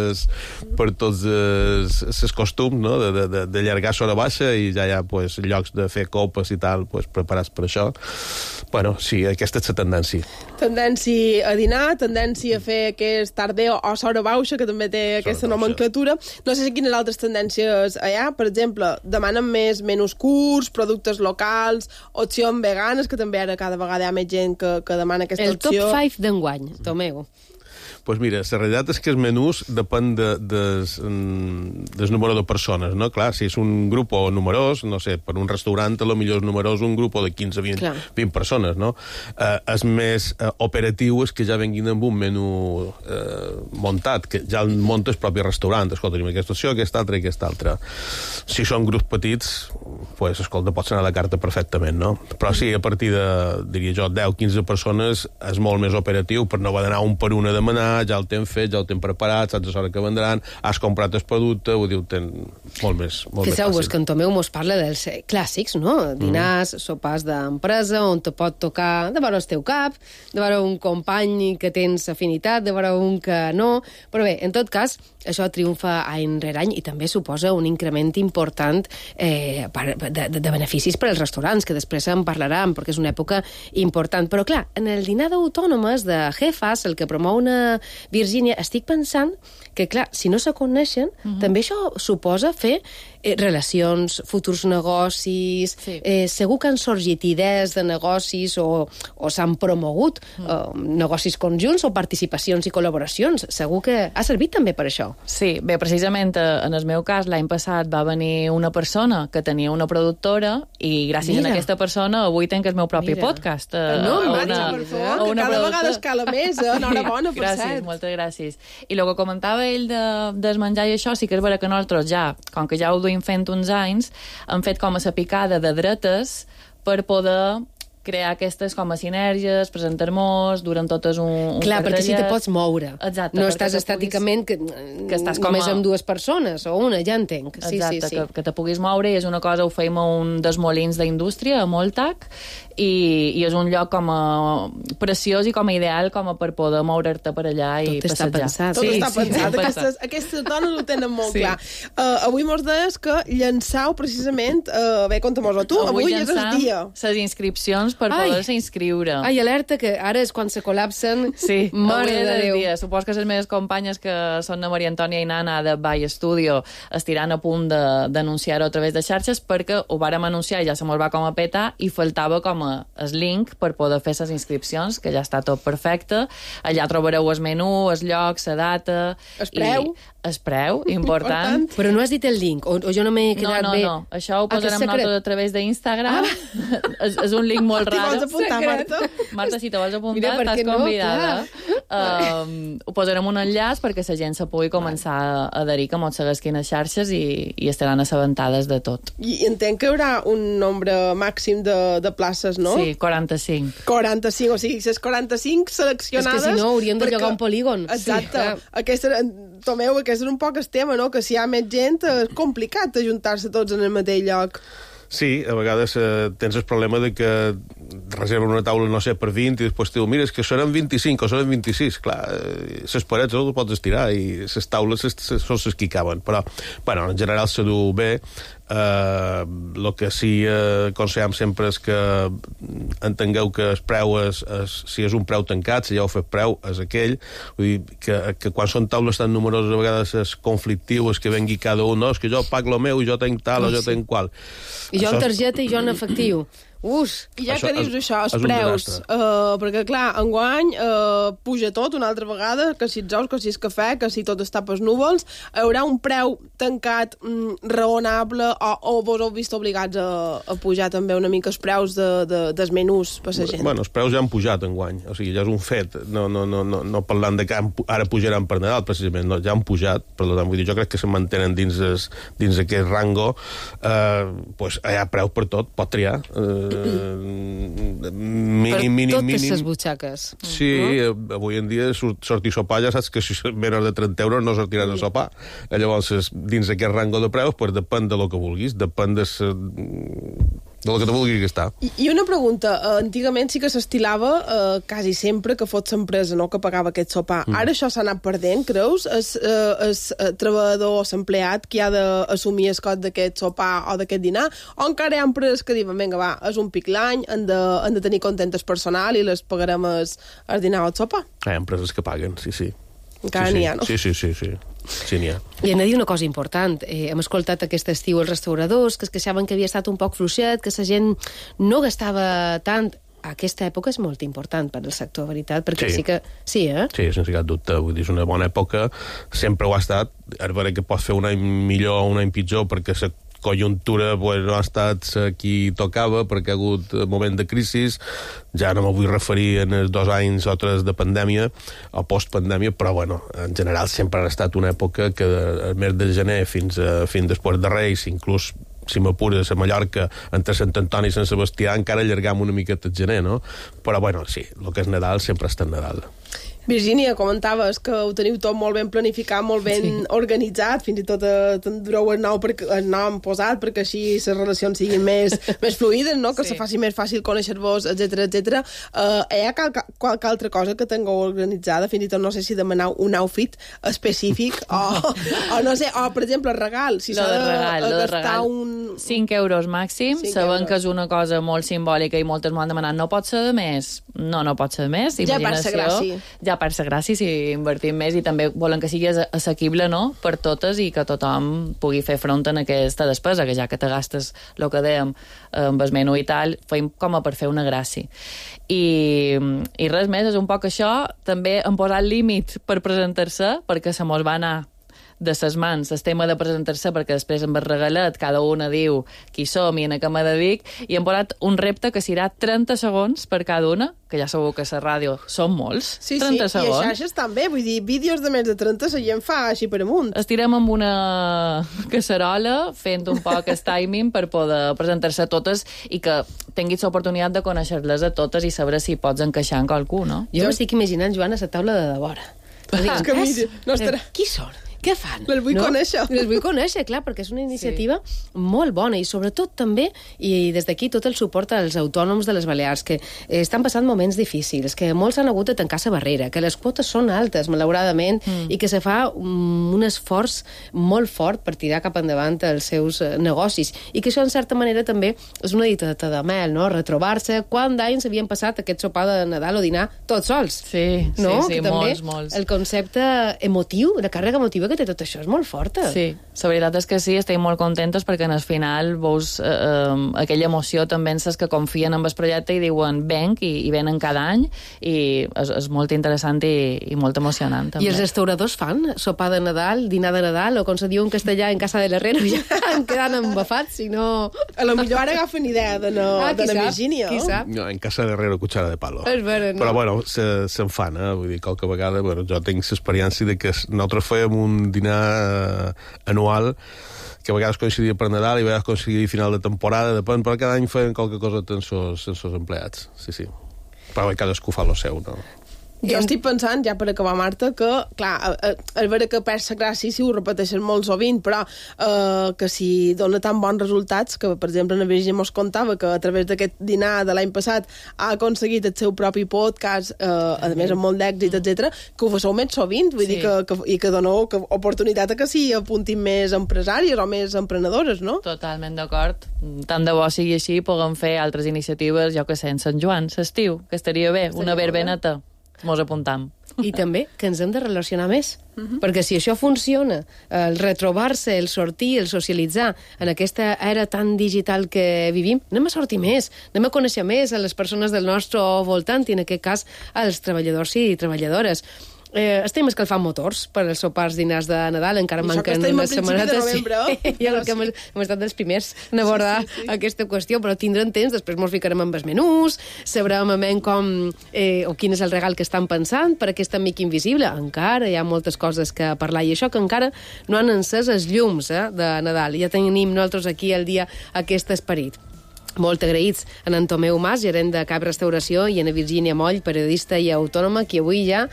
els costums, no? D'allargar sobre baixa i ja hi ha pues, llocs de fer copes i tal pues, preparats per això. Bueno, sí, aquesta és la tendència. Tendència a dinar, tendència a fer aquest tardeo o sobre baixa, que també té aquesta nomenclatura. No sé si quines altres tendències hi ha. Per exemple, demanen més menús curts, productes locals, opcions veganes, que també ara cada vegada hi ha més gent que demana aquesta opció. El top 5 d'enguany, Tomeu. Pues mira, la realitat és que els menús depèn del número de persones, no? Clar, si és un grup numerós, no sé, per un restaurant a lo millor és numerós un grup de 15-20 persones, no? És més operatiu és que ja venguin amb un menú muntat, que ja el munta el propi restaurant. Escolta, tenim aquesta opció, aquesta altra i aquesta altra. Si són grups petits, pues, escolta, pots anar a la carta perfectament, no? Però sí, a partir de, diria jo, 10-15 persones és molt més operatiu per no haver d'anar un per una a demanar, ja el tens fet, ja el tens preparat, saps l'hora que vendran, has comprat el producte, ho diu, ten molt més fàcil. Fixeu-vos que en Tomeu mos parla dels clàssics, no? Dinars, sopars d'empresa, on te pot tocar de veure el teu cap, de veure un company que tens afinitat, de veure un que no... Però bé, en tot cas, això triomfa any rere any i també suposa un increment important de beneficis per als restaurants, que després en parlarem, perquè és una època important. Però clar, en el dinar d'autònomes de Jefas, el que promou una Virgínia, estic pensant que, clar, si no se coneixen, també això suposa fer relacions, futurs negocis, segur que han sorgit idees de negocis o s'han promogut negocis conjunts o participacions i col·laboracions. Segur que ha servit també per això. Sí, bé, precisament en el meu cas l'any passat va venir una persona que tenia una productora i gràcies a aquesta persona avui tenc el meu propi podcast. No, marxa, per favor, que cada vegada escala més. Enhorabona, per cert. Gràcies, moltes gràcies. I el que comentava ell del menjar i això, sí que és vera que nosaltres ja, com que ja ho duim fent uns anys, hem fet com a sa picada de dretes per poder crear aquestes com a sinergies, presentar-nos durant totes un clar, perquè si te pots moure. Exacte. No estàs estàticament que estàs només amb dues persones, o una, ja entenc. Exacte, sí. Que te puguis moure, i és una cosa, ho feim a un dels molins d'indústria, a Moltac, i és un lloc com a preciós i com a ideal com a per poder moure'te per allà i passejar. Tot està pensat. Aquestes dones ho tenen molt clar. Avui mos deies que llançau precisament, bé, conta-mos-ho tu, avui és el dia. Les inscripcions per poder-se inscriure. Ai, alerta, que ara és quan se col·lapsen. Sí, mare de Déu. Supos que les meves companyes, que són la Maria Antònia i Nana de By Studio, estiran a punt d'anunciar-ho a través de xarxes, perquè ho vàrem anunciar i ja se mos va com a petar i faltava com el link per poder fer les inscripcions, que ja està tot perfecte. Allà trobareu el menú, el lloc, la data... El preu. El preu, important. Però no has dit el link, o jo no m'he quedat bé. No, això ho posarem nosaltres a través d'Instagram. És un link molt rar. T'hi vols apuntar, Marta? Marta, si te vols apuntar, estàs convidada. Ho posarem un enllaç perquè la gent se pugui començar a adherir, que mos segueixin a xarxes i estaran assabentades de tot. I entenc que hi haurà un nombre màxim de places, no? Sí, 45. 45, o sigui, les 45 seleccionades... És que si no, hauríem de llogar un polígon. Exacte. Tomeu, aquest és un poc el tema, no? Que si hi ha més gent és complicat ajuntar-se tots en el mateix lloc. Sí, a vegades tens el problema de que reserven una taula, no sé, per 20 i després diu, mira, és que seran 25 o seran 26. Clar, les parets no les pots estirar i les taules són les que hi caben. Però, bueno, en general se du bé. El que sí aconsellem sempre és que entengueu que el preu si és un preu tancat, si ja heu fet preu, és aquell. Vull dir que quan són taules tan numeroses a vegades és conflictiu, és que vengui cada un, no, és que jo pago el meu i jo tenc tal o jo tenc qual. I jo en targeta i jo en efectiu. I ja que dius això, els preus, perquè clar, enguany puja tot una altra vegada, que si els ous, que si és cafè, que si tot està pels núvols, hi haurà un preu tancat raonable o vos heu vist obligats a pujar també una mica els preus dels menús per la gent? Bueno, els preus ja han pujat enguany, o sigui, ja és un fet, no parlant de que ara pujaran per Nadal, precisament, no, ja han pujat, per tant, vull dir, jo crec que se mantenen dins aquest rango, pues hi ha preu per tot, pot triar, mínim. Totes les butxaques. Sí, avui en dia sortir a sopar ja saps que si menys de 30 euros no sortiran a sopar. Llavors, dins d'aquest rango de preus, pues depèn de lo que vulguis, depèn de del que te vulguis gastar. I una pregunta, antigament sí que s'estilava quasi sempre que fos l'empresa, no?, que pagava aquest sopar. Ara això s'ha anat perdent, creus? El treballador o l'empleat qui ha d'assumir el cost d'aquest sopar o d'aquest dinar? O encara hi ha empreses que diuen, vinga, va, és un pic l'any, han de tenir content el personal i les pagarem el dinar o el sopar? Hi ha empreses que paguen, sí. Encara n'hi ha, no? Sí. Sí, n'hi ha. I hem de dir una cosa important. Hem escoltat aquest estiu els restauradors que es queixaven que havia estat un poc fluixet, que la gent no gastava tant. Aquesta època és molt important per al sector, veritat, perquè sí que... Sí, Sí, sense cap dubte. Vull dir, és una bona època. Sempre ho ha estat. Ara veure que pots fer un any millor o un any pitjor perquè la conjuntura no ha estat qui tocava perquè ha hagut moment de crisi. Ja no me vull referir en els 2 anys o 3 de pandèmia o postpandèmia, però bueno, en general sempre ha estat una època que el mes de gener fins després de Reis, inclús si m'apures a Mallorca, entre Sant Antoni i Sant Sebastià, encara allargam una miqueta el gener, no? Però bueno, sí, el que és Nadal sempre està en Nadal. Virgínia, comentaves que ho teniu tot molt ben planificat, molt ben organitzat, fins i tot dureu el nom posat perquè així les relacions siguin més fluides, no? Que se faci més fàcil conèixer-vos, etc. Hi ha qualque altra cosa que tingueu organitzada? Fins i tot no sé si demanar un outfit específic o no sé, o per exemple el regal, si s'ha de gastar 5 euros màxim, sabent que és una cosa molt simbòlica i moltes m'ho han demanat, no pot ser de més? No pot ser de més, imaginació. Ja per ser gràcia si invertim més i també volen que sigui assequible, no?, per totes i que tothom pugui fer front en aquesta despesa, que ja que te gastes el que dèiem amb el menú i tal, feim com a per fer una gràcia. I res més, és un poc això. També hem posat límit per presentar-se, perquè se mos va anar de ses mans el tema de presentar-se, perquè després amb el regalet cada una diu qui som i en què me dedic, i hem posat un repte que serà 30 segons per cada una, que ja sabeu que a la ràdio són molts, 30 segons. I a xarxes també, vull dir, vídeos de més de 30 la gent fa així per amunt. Estirem amb una casserola fent un poc el timing per poder presentar-se a totes i que tinguis l'oportunitat de conèixer-les a totes i saber si pots encaixar en qualcú, no? Jo m'estic imaginant, Joan, a la taula de devora. Qui són? Què fan? Les vull conèixer. Les vull conèixer, clar, perquè és una iniciativa molt bona i sobretot també, i des d'aquí tot el suport als autònoms de les Balears, que estan passant moments difícils, que molts han hagut de tancar la barrera, que les quotes són altes, malauradament, i que se fa un esforç molt fort per tirar cap endavant els seus negocis. I que això, en certa manera, també és una dita de mel, no? Retrobar-se. Quant d'anys havien passat aquest sopar de Nadal o dinar tots sols? Sí, no? Sí, molts. El concepte emotiu, la càrrega emotiva que té tot això és molt forta. Sí, la veritat és que sí, estem molt contentes perquè en el final veus aquella emoció també en que confien en el projecte i diuen venc i venen cada any i és molt interessant i molt emocionant també. I els restauradors fan sopar de Nadal, dinar de Nadal o com se diu en castellà en casa de l'herrero ja en quedant embafats, si no... A lo millor ara agafen idea de la Virgínia, no? No, en casa de l'herrero cuchara de palo. És vera, no? Però bueno, se'n fan, vull dir, qualque vegada jo tinc l'experiència de que nosaltres fèiem un dinar anual que a vegades coincidia per Nadal i a vegades coincidia a final de temporada, depèn, però cada any feien qualque cosa amb els empleats, sí. Però cadascú fa lo seu, no? Jo estic pensant, ja per acabar, Marta, que, clar, és vera que perd la gràcia si ho repeteixen molt sovint, però que si dona tan bons resultats, que, per exemple, la Virgínia mos contava que a través d'aquest dinar de l'any passat ha aconseguit el seu propi podcast, a més amb molt d'èxit, etc, que ho faceu més sovint, vull dir i que doneu oportunitat a que s'hi apuntin més empresàries o més emprenedores, no? Totalment d'acord. Tant de bo sigui així, puguem fer altres iniciatives, jo que sé, en Sant Joan, l'estiu, que estaria bé, una verbeneta. Mos apuntam. I també que ens hem de relacionar més, perquè si això funciona, el retrobar-se, el sortir, el socialitzar en aquesta era tan digital que vivim, anem a sortir més, anem a conèixer més a les persones del nostre voltant i en aquest cas als treballadors i treballadores. Estem escalfant motors per als sopars dinars de Nadal, encara manquen unes setmanetes. Ja que hem estat dels primers a abordar aquesta qüestió, però tindrem temps, després ens ficarem amb els menús, sabrem com o quin és el regal que estan pensant per aquest amic invisible. Encara hi ha moltes coses que parlar, i això que encara no han encès els llums de Nadal. Ja tenim nosaltres aquí al dia aquest esperit. Molt agraïts a en Tomeu Mas, gerent de Cap Restauració, i a Virgínia Moll, periodista i autònoma, qui avui ja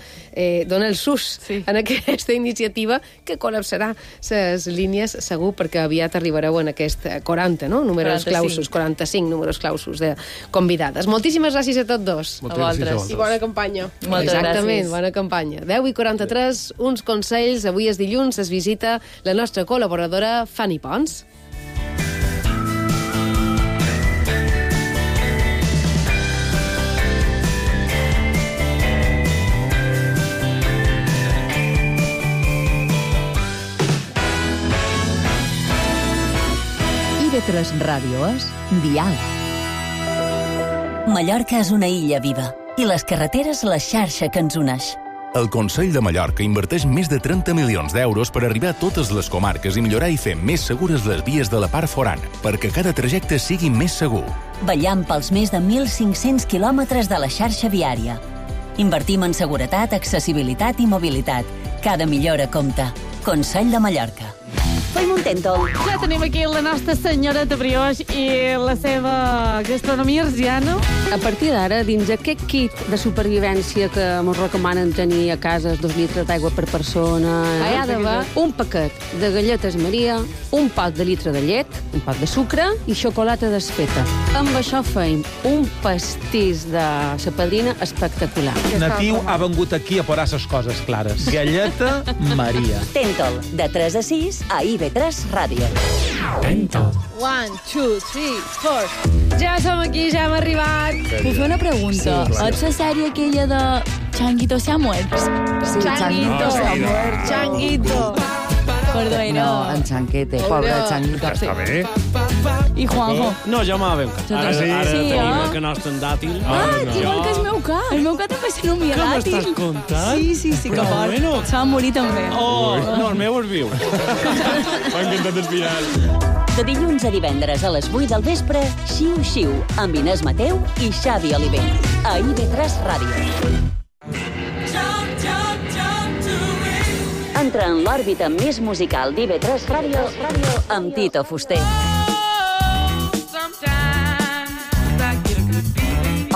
dona el sus en aquesta iniciativa que col·lapsarà les línies, segur, perquè aviat arribareu en aquest 40, no? Números clausos, 45 números clausos de convidades. Moltíssimes gràcies a tots dos. A vosaltres. I bona campanya. Moltes gràcies. Bona campanya. 10:43, uns consells. Avui és dilluns, es visita la nostra col·laboradora Fanny Pons. IB3 Ràdio és Dial. Mallorca és una illa viva i les carreteres la xarxa que ens uneix. El Consell de Mallorca inverteix més de 30 milions d'euros per arribar a totes les comarques i millorar i fer més segures les vies de la part forana, perquè cada trajecte sigui més segur. Vetllant pels més de 1.500 quilòmetres de la xarxa viària. Invertim en seguretat, accessibilitat i mobilitat. Cada millora compta. Consell de Mallorca. Fem un tèntol. Ja tenim aquí la nostra senyora de brioix i la seva gastronomia arsiana. A partir d'ara, dins aquest kit de supervivència que ens recomanen tenir a casa 2 litres d'aigua per persona, hi ha d'haver un paquet de galletes Maria, un pot de litre de llet, un pot de sucre i xocolata desfeta. Amb això feim un pastís de la padrina espectacular. Natiu ha vengut aquí a posar les coses clares. Galleta Maria. Tèntol, de 3 a 6 a IB3 Ràdio. Tèntol. 1, 2, 3, 4. Ja som aquí, ja hem arribat. Puc fer una pregunta? És la sèrie aquella de Changuito se ha muerto? Sí, Changuito se ha muerto. Changuito. Perdó, no, en Chanquete, pobre Changuito. Està bé. I Juanjo? No, jo m'ha ben cat. Ara tenim que no estan dàtil. Igual que el meu cat. El meu cat també se nomia dàtil. Què m'estàs contant? Sí, que fort. Se va morir també. No, el meu és viu. M'ha encantat el final. De dilluns a divendres a les 8 del vespre, Xiu Xiu, amb Inés Mateu i Xavi Oliver. A IB3 Ràdio. Entra en l'òrbita més musical d'IB3 Ràdio amb Tito Fuster.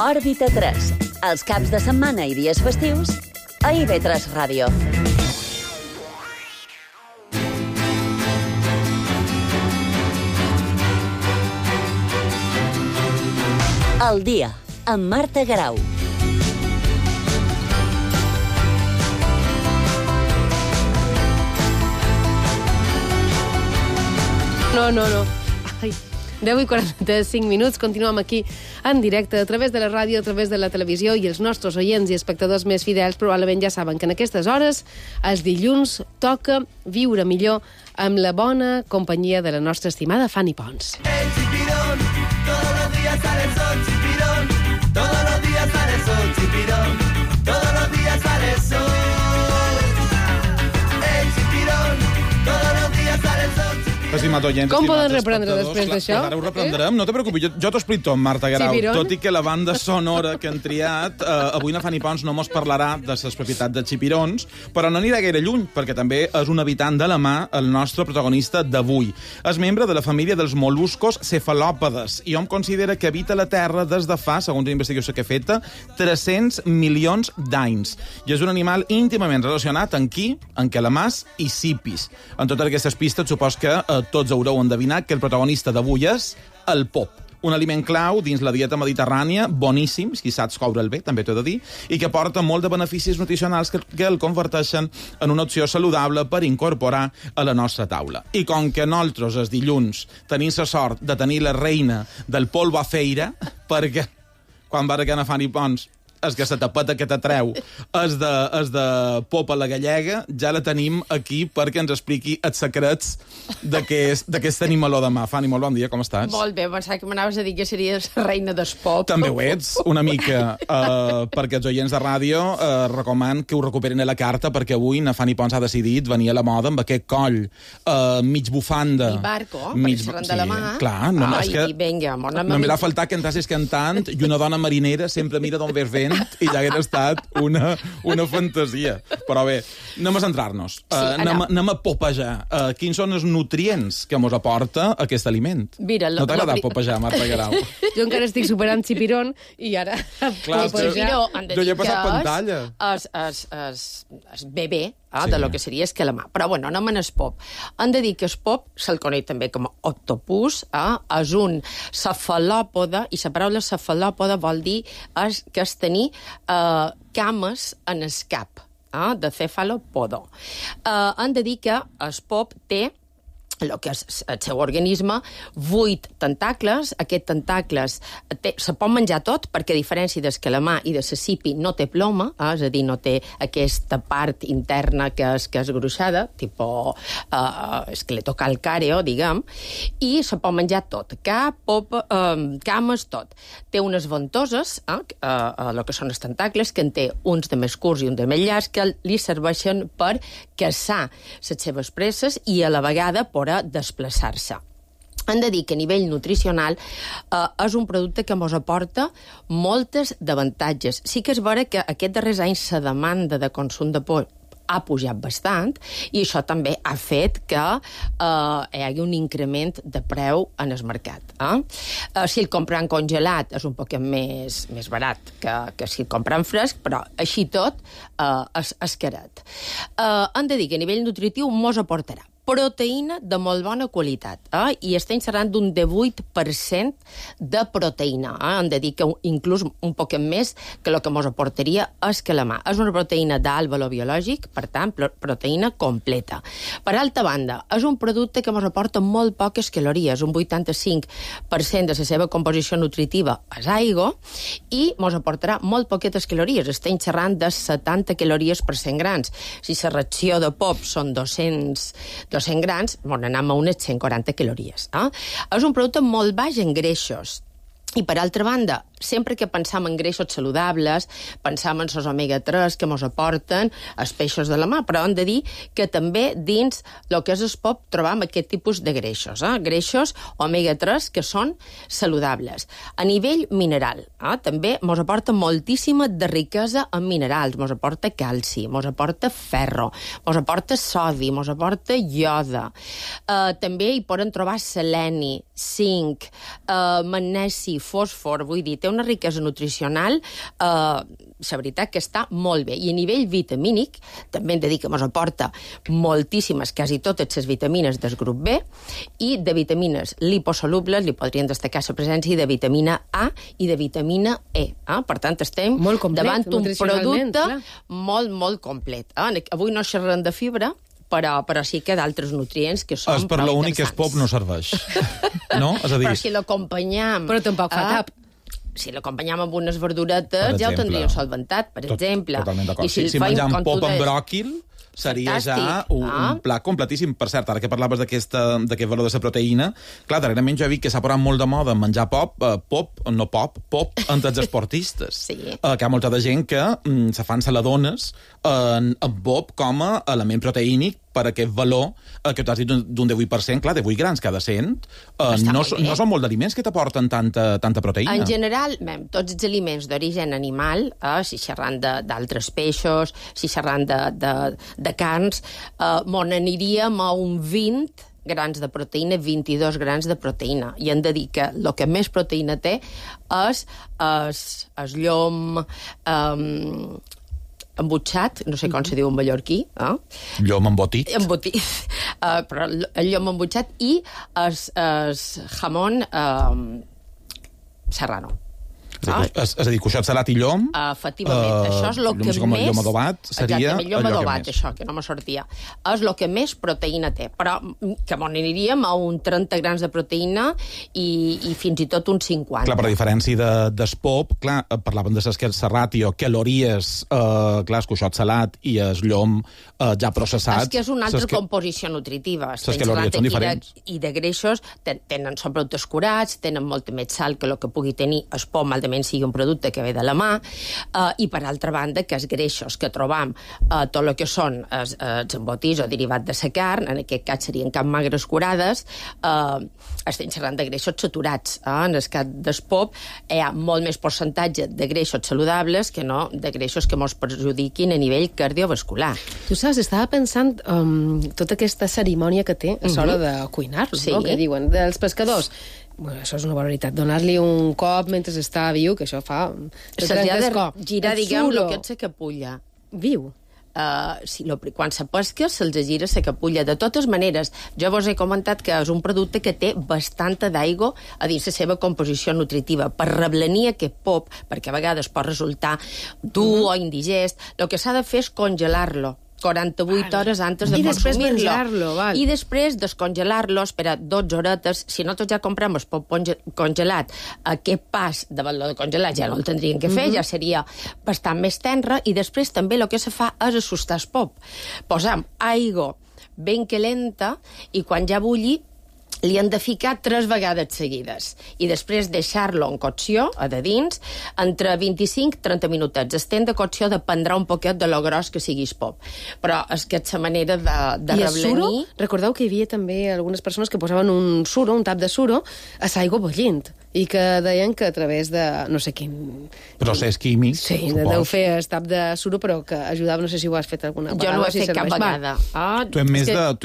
Òrbita 3. Els caps de setmana i dies festius a IB3 Ràdio. El dia, amb Marta Garau. No. Ai, 10:45 minuts, continuem aquí en directe a través de la ràdio, a través de la televisió, i els nostres oients i espectadors més fidels probablement ja saben que en aquestes hores, els dilluns, toca viure millor amb la bona companyia de la nostra estimada Fanny Pons. El chipirón, todos los días sale el sol, chipirón, todos los días sale el sol, chipirón, todos los días sale el sol. El chipirón, todos los días sale el sol, chipirón. Estimat oients, com poden reprendre després d'això? Ara ho reprendrem, no te preocupis, jo t'ho explico tot, Marta Garau, tot i que la banda sonora que han triat, avui na Fanny Pons no mos parlarà de les propietats de xipirons, però no anirà gaire lluny, perquè també és un habitant de la mà el nostre protagonista d'avui. És membre de la família dels mol·luscos cefalòpodes i hom considera que habita la Terra des de fa, segons una investigació que he feta, 300 milions d'anys. I és un animal íntimament relacionat amb qui? Amb calamars i sipis. En totes aquestes pistes, supos que tots haureu endevinat que el protagonista d'avui és el pop. Un aliment clau dins la dieta mediterrània, boníssim, si saps coure'l bé, també t'ho he de dir, i que porta molt de beneficis nutricionals que el converteixen en una opció saludable per incorporar a la nostra taula. I com que nosaltres, els dilluns, tenim la sort de tenir la reina del polvo a feira, perquè quan va que a Fanny Pons és que la tapeta que t'atreu és de popa la gallega, ja la tenim aquí perquè ens expliqui els secrets d'aquest animaló de mà. Fanny, molt bon dia, com estàs? Molt bé, pensava que m'anaves a dir que series la reina del pop. També ho ets, una mica, perquè els oients de ràdio recomanen que ho recuperin a la carta, perquè avui na Fanny Pons ha decidit venir a la moda amb aquest coll mig bufanda. I barco, per xerrant de la mà. Clar, no, és que vinga, no m'ha faltat que entrassis cantant i una dona marinera sempre mira d'on ves vent aliment i ja hauria estat una fantasia. Però bé, anem a centrar-nos. Anem a popejar. Quins són els nutrients que ens aporta aquest aliment? Mira, no t'ha agradat popejar, Marta Guerau? Jo encara estic superant Chipiron i ara... Clar, jo ja he passat pantalla. És bebè de lo que seria escalamar. Però, bueno, anem en el pop. Han de dir que el pop se'l coneix també com a octopus, és un cefalòpode, i la paraula cefalòpode vol dir que és tenir cames en el cap, de cefalopodo. Han de dir que el pop té el que és el seu organisme, 8 tentacles. Aquests tentacles se pot menjar tot, perquè a diferència del calamar i de la sipi no té ploma, és a dir, no té aquesta part interna que és gruixada, tipus esqueletocalcàreo, diguem, i se pot menjar tot, cap, pop, cames, tot. Té unes ventoses, el que són els tentacles, que en té uns de més curts i uns de més llargs, que li serveixen per caçar les seves preses i a la vegada per desplaçar-se. Han de dir que a nivell nutricional és un producte que ens aporta moltes d'avantatges. Sí que és vera que aquests darrers anys la demanda de consum de pop ha pujat bastant i això també ha fet que hi hagi un increment de preu en el mercat. Si el compren congelat és un poc més barat que si el compren fresc, però així tot és caret. Han de dir que a nivell nutritiu ens aportarà proteïna de molt bona qualitat, i estem parlant d'un 18% de proteïna. Han de dir que inclús un poc més que el que ens aportaria és calamar. És una proteïna d'alt valor biològic, per tant, proteïna completa. Per altra banda, és un producte que ens aporta molt poques calories, un 85% de la seva composició nutritiva és aigua, i ens aportarà molt poquetes calories. Estem xerrant de 70 calories per 100 grans. Si la ració de pop són 200 grans, anem a unes 140 calories. És un producte molt baix en greixos. I, per altra banda, sempre que pensam en greixos saludables, pensam en els omega-3 que ens aporten els peixos de la mar, però hem de dir que també dins el que és el pop trobam aquest tipus de greixos, greixos omega-3 que són saludables. A nivell mineral, també ens aporta moltíssima de riquesa en minerals, ens aporta calci, ens aporta ferro, ens aporta sodi, ens aporta ioda. També hi poden trobar seleni, zinc, magnesi, fòsfor, vull dir, té una riquesa nutricional, la veritat que està molt bé. I a nivell vitamínic, també hem de dir que ens aporta moltíssimes, quasi totes les vitamines del grup B, i de vitamines liposolubles li podrien destacar la presència de vitamina A i de vitamina E. Per tant, estem davant un producte molt, molt complet. Avui no xerrem de fibra, però sí que d'altres nutrients que són per l'únic que el pop no serveix. No? És a dir... Però si l'acompanyam... Però tampoc fa tap. Si l'acompanyam amb unes verduretes, ja ho tindríem solventat, per exemple. Totalment d'acord. Si menjam pop amb bròquil, seria ja un plat completíssim. Per cert, ara que parlaves d'aquest valor de la proteïna, clar, darrerament jo he vist que s'ha posat molt de moda menjar pop entre els esportistes. Sí. Que hi ha molta de gent que se fan saladones amb pop com a element proteínic per aquest valor que t'has dit d'un 18%, clar, de 8 grans cada 100, no són molt d'aliments que t'aporten tanta proteïna. En general, tots els aliments d'origen animal, si xerrant d'altres peixos, si xerrant de carns, n'aniríem a un 20 grans de proteïna, 22 grans de proteïna. I hem de dir que el que més proteïna té és llom... embutxat, no sé com se diu en mallorquí. Llom embotit. Però el llom embutxat i el jamón serrano. És a dir, cuixat salat i llom... Efectivament, això és el que més... Llom adobat seria llom adobat, això, que no me sortia. És el que més proteïna té, però que aniríem a un 30 grans de proteïna i fins i tot un 50. Clar, per a diferència del pop, clar, parlaven de la ràtio, calories, clar, el cuixot salat i el llom ja processat... És que és una altra composició nutritiva. Les calories són diferents. I de greixos són productes curats, tenen molta més sal que el que pugui tenir el pop, mal de evidentment sigui un producte que ve de la mà, i per altra banda que els greixos que trobam tot el que són els embotits o derivats de la carn, en aquest cas serien carn magres curades, estem xerrant de greixos saturats. En el cas del pop hi ha molt més percentatge de greixos saludables que no de greixos que ens perjudiquin a nivell cardiovascular. Tu saps, estava pensant tota aquesta cerimònia que té a l'hora de cuinar-lo, no? Que diuen, dels pescadors. Bueno, això és una barbaritat. Donar-li un cop mentre està viu, que això fa... Se'ls ha de girar, diguem, el que és la capulla. Viu? Quan se pesca se'ls gira la capulla. De totes maneres, jo vos he comentat que és un producte que té bastanta d'aigua a dins la seva composició nutritiva. Per reblenir aquest pop, perquè a vegades pot resultar dur o indigest, el que s'ha de fer és congelar-lo 48 hores antes de consumir-lo. I després descongelar-lo, espera 12 horetes. Si nosaltres ja comprem el pop congelat, aquest pas de valor de congelat ja no el tindríem que fer, ja seria bastant més tenre, i després també el que se fa és assustar el pop. Posam aigua ben calenta i quan ja bulli li han de ficar 3 vegades seguides i després deixar-lo en cocció, a de dins, entre 25 i 30 minutets. El temps de cocció dependrà un poquet de lo gros que sigui el pop. Però és que és la manera de reblenir... I el suro? Recordeu que hi havia també algunes persones que posaven un suro, un tap de suro, a l'aigua bullint, i que deien que a través de no sé quin... Procés químic, sí, deu fer el tap de suro, però que ajudava, no sé si ho has fet alguna vegada. Jo no ho he fet cap vegada. Tu ets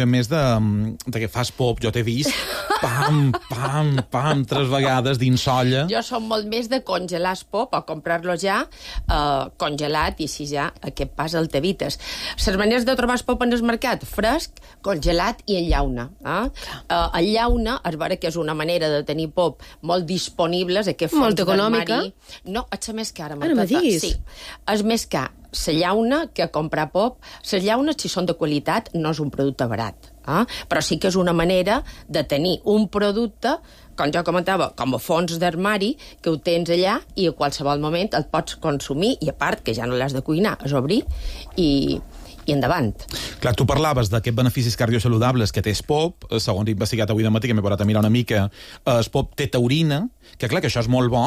més de que fas pop, jo t'he vist pam, pam, pam, 3 vegades dins olla. Jo som molt més de congelar el pop o comprar-lo ja congelat, i si ja aquest pas el t'evites. Les maneres de trobar el pop en el mercat, fresc, congelat i en llauna. En llauna es veure que és una manera de tenir pop molt disponibles, aquest fons d'armari. No, és més cara. Ara me diguis. Sí, és més car la llauna que comprar pop. Les llaunes, si són de qualitat, no és un producte barat. Però sí que és una manera de tenir un producte, com jo comentava, com a fons d'armari, que ho tens allà i a qualsevol moment el pots consumir, i a part que ja no l'has de cuinar, és obrir i endavant. Clar, tu parlaves d'aquests beneficis cardiosaludables que té el pop, segons he investigat avui de matí, que m'he parat a mirar una mica, el pop té taurina, que clar, que això és molt bo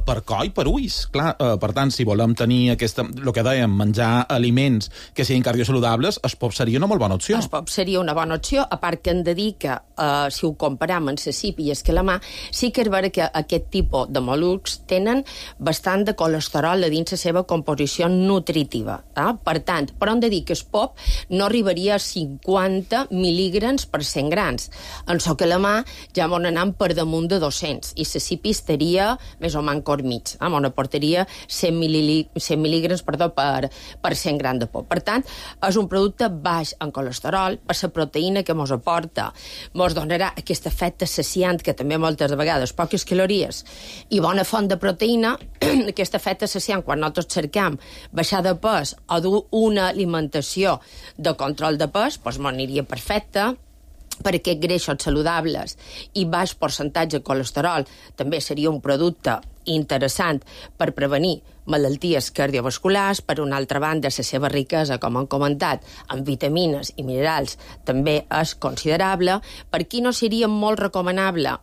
per coi, per ulls. Clar, per tant, si volem tenir el que dèiem, menjar aliments que siguin cardiosaludables, el pop seria una molt bona opció. El pop seria una bona opció, a part que hem de dir que, si ho comparam amb la cip i escalamar, sí que és vera que aquest tipus de mol·luscs tenen bastant de colesterol a dins la seva composició nutritiva. Per tant, però hem de dir que el pop no arribaria a 50 mil·lígrams per 100 grans. En so que la mà ja m'on anam per damunt de 200, i la cipi estaria més o menys cor mig. M'on aportaria 100 mil·lígrams per 100 grans de pop. Per tant, és un producte baix en colesterol, per la proteïna que mos aporta. Mos donarà aquest efecte saciant, que també moltes vegades, poques calories i bona font de proteïna, aquest efecte saciant, quan nosaltres cercam baixar de pes o dur una alimentació de control de pes, doncs m'aniria perfecte, perquè greixos saludables i baix percentatge de colesterol també seria un producte interessant per prevenir malalties cardiovasculars. Per una altra banda, la seva riquesa, com hem comentat, en vitamines i minerals també és considerable. Per qui no seria molt recomanable?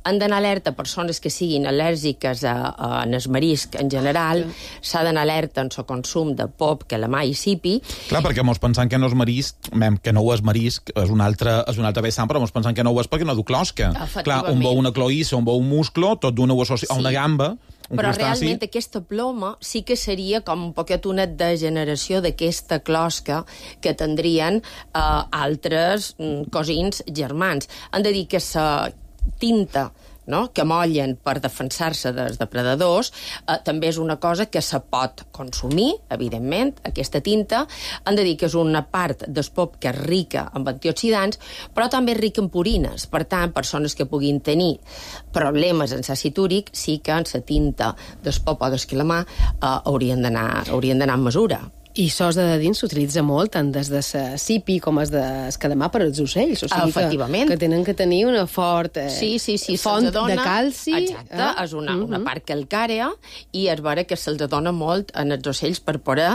Han d'anar alerta persones que siguin al·lèrgiques en el marisc en general. S'ha d'anar alerta en el consum de pop, calamar i sipi. Clar, perquè mos pensant que no és marisc, que no ho és marisc, és un altre vessant, però mos pensant que no ho és perquè no du closca. Clar, un veu una cloïssa, un veu un musclo, tot d'una ho associa a una gamba. Però realment aquesta ploma sí que seria com un poquet una degeneració d'aquesta closca que tindrien altres cosins germans. Han de dir que la tinta que mollen per defensar-se dels depredadors, també és una cosa que se pot consumir, evidentment, aquesta tinta. Han de dir que és una part del pop que és rica en antioxidants, però també és rica en purines. Per tant, persones que puguin tenir problemes en àcid úric, sí que en la tinta del pop o del calamar haurien d'anar amb mesura. I sos de dins s'utilitza molt, tant des de la cipi com des de escalamar per als ocells. O sigui efectivament. Que tenen que tenir una fort font de calci. Exacte, és una part calcària i es veure que se'ls dona molt en els ocells per poder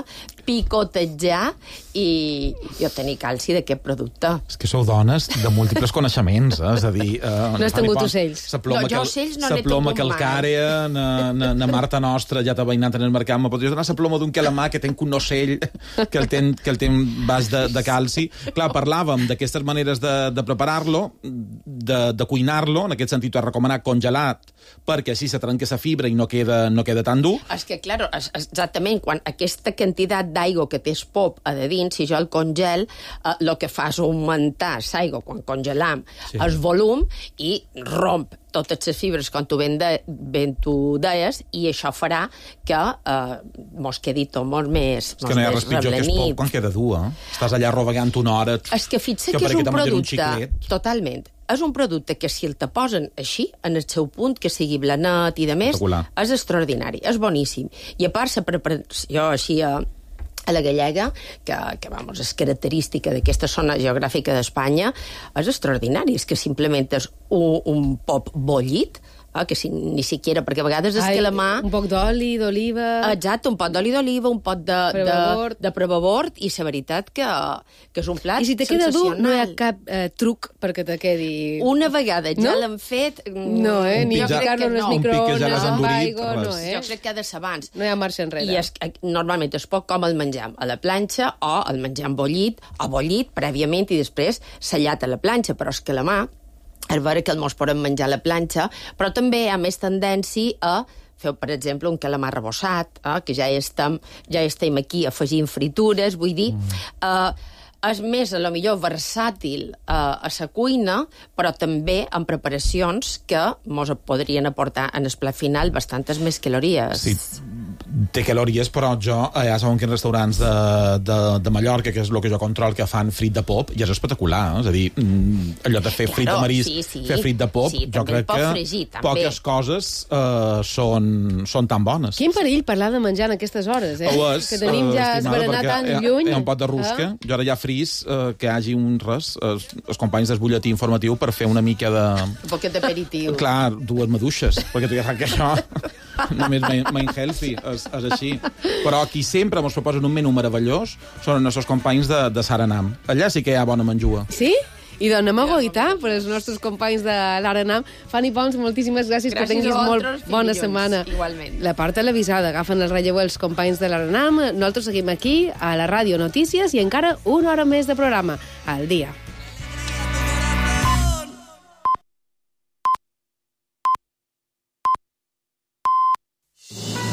picotejar i obtenir calci d'aquest producte. És que sou dones de múltiples coneixements, és a dir... No has tingut ocells. Jo ocells no n'he ploma tingut calcària, na Marta nostra ja t'ha veïnat en el mercat, me podries donar la ploma d'un calamar que ten un ocell que el té bas de calci. Clar, parlàvem d'aquestes maneres de preparar-lo, de cuinar-lo, en aquest sentit ho has recomanat congelat, perquè així se trenca la fibra i no queda tan dur. És que, clar, exactament, quan aquesta quantitat d'aigua que té el pop a de dins, si jo el congel, el que fa és augmentar l'aigua quan congelam el volum i romp totes les fibres, com tu ben tu deies, i això farà que mos quedi tot molt més és que no hi ha res pitjor que el pop quan queda dur, Estàs allà rovegant una hora... És que fixa que és un producte... Totalment. És un producte que si el te posen així, en el seu punt, que sigui blanet i de més, és extraordinari, és boníssim. I a part, la preparació així a la gallega, que és característica d'aquesta zona geogràfica d'Espanya, és extraordinari. És que simplement és un pop bollit, que ni siquiera, perquè a vegades és que la mà... Un poc d'oli, d'oliva... Exacte, un pot d'oli d'oliva, un pot de prebabord, i la veritat que és un plat sensacional. I si te queda dur, no hi ha cap truc perquè te quedi... Una vegada ja l'han fet... No, ni ficar-lo en les microones, amb aigua, no, Jo crec que ha de ser abans. No hi ha marxa enrere. I normalment es pot com el menjam a la planxa o el menjam bollit, o bollit prèviament i després sellat a la planxa, però és que la mà és veure que el mos podem menjar a la planxa, però també hi ha més tendència a fer, per exemple, un calamar rebossat, que ja estem aquí afegint fritures, vull dir... és més, a lo millor, versàtil a la cuina, però també en preparacions que mos podrien aportar en el plat final bastantes més calories. Sí, té calories, però jo ja sabem quins restaurants de Mallorca, que és el que jo control, que fan frit de pop, i és espectacular, és a dir, allò de fer frit de marisc, fer frit de pop, jo crec que poques coses són tan bones. Quin perill parlar de menjar en aquestes hores, que tenim ja esberenar tan lluny. Hi ha un pot de rusca, jo ara ja fris que hi hagi els companys del butlletí informatiu per fer una mica de... Un poquet d'aperitiu. Clar, 2 maduixes, perquè tu ja saps que això només main healthy, és així. Però qui sempre ens proposen un menú meravellós són els nostres companys de Saranam. Allà sí que hi ha bona menjua. Sí? I donem a goitar per als nostres companys de l'Aranam. Fanny Pons, moltíssimes gràcies, que tinguis molt bona setmana. Igualment. La part televisada, agafen el relleu els companys de l'Aranam. Nosaltres seguim aquí, a la Ràdio Notícies, i encara una hora més de programa al dia.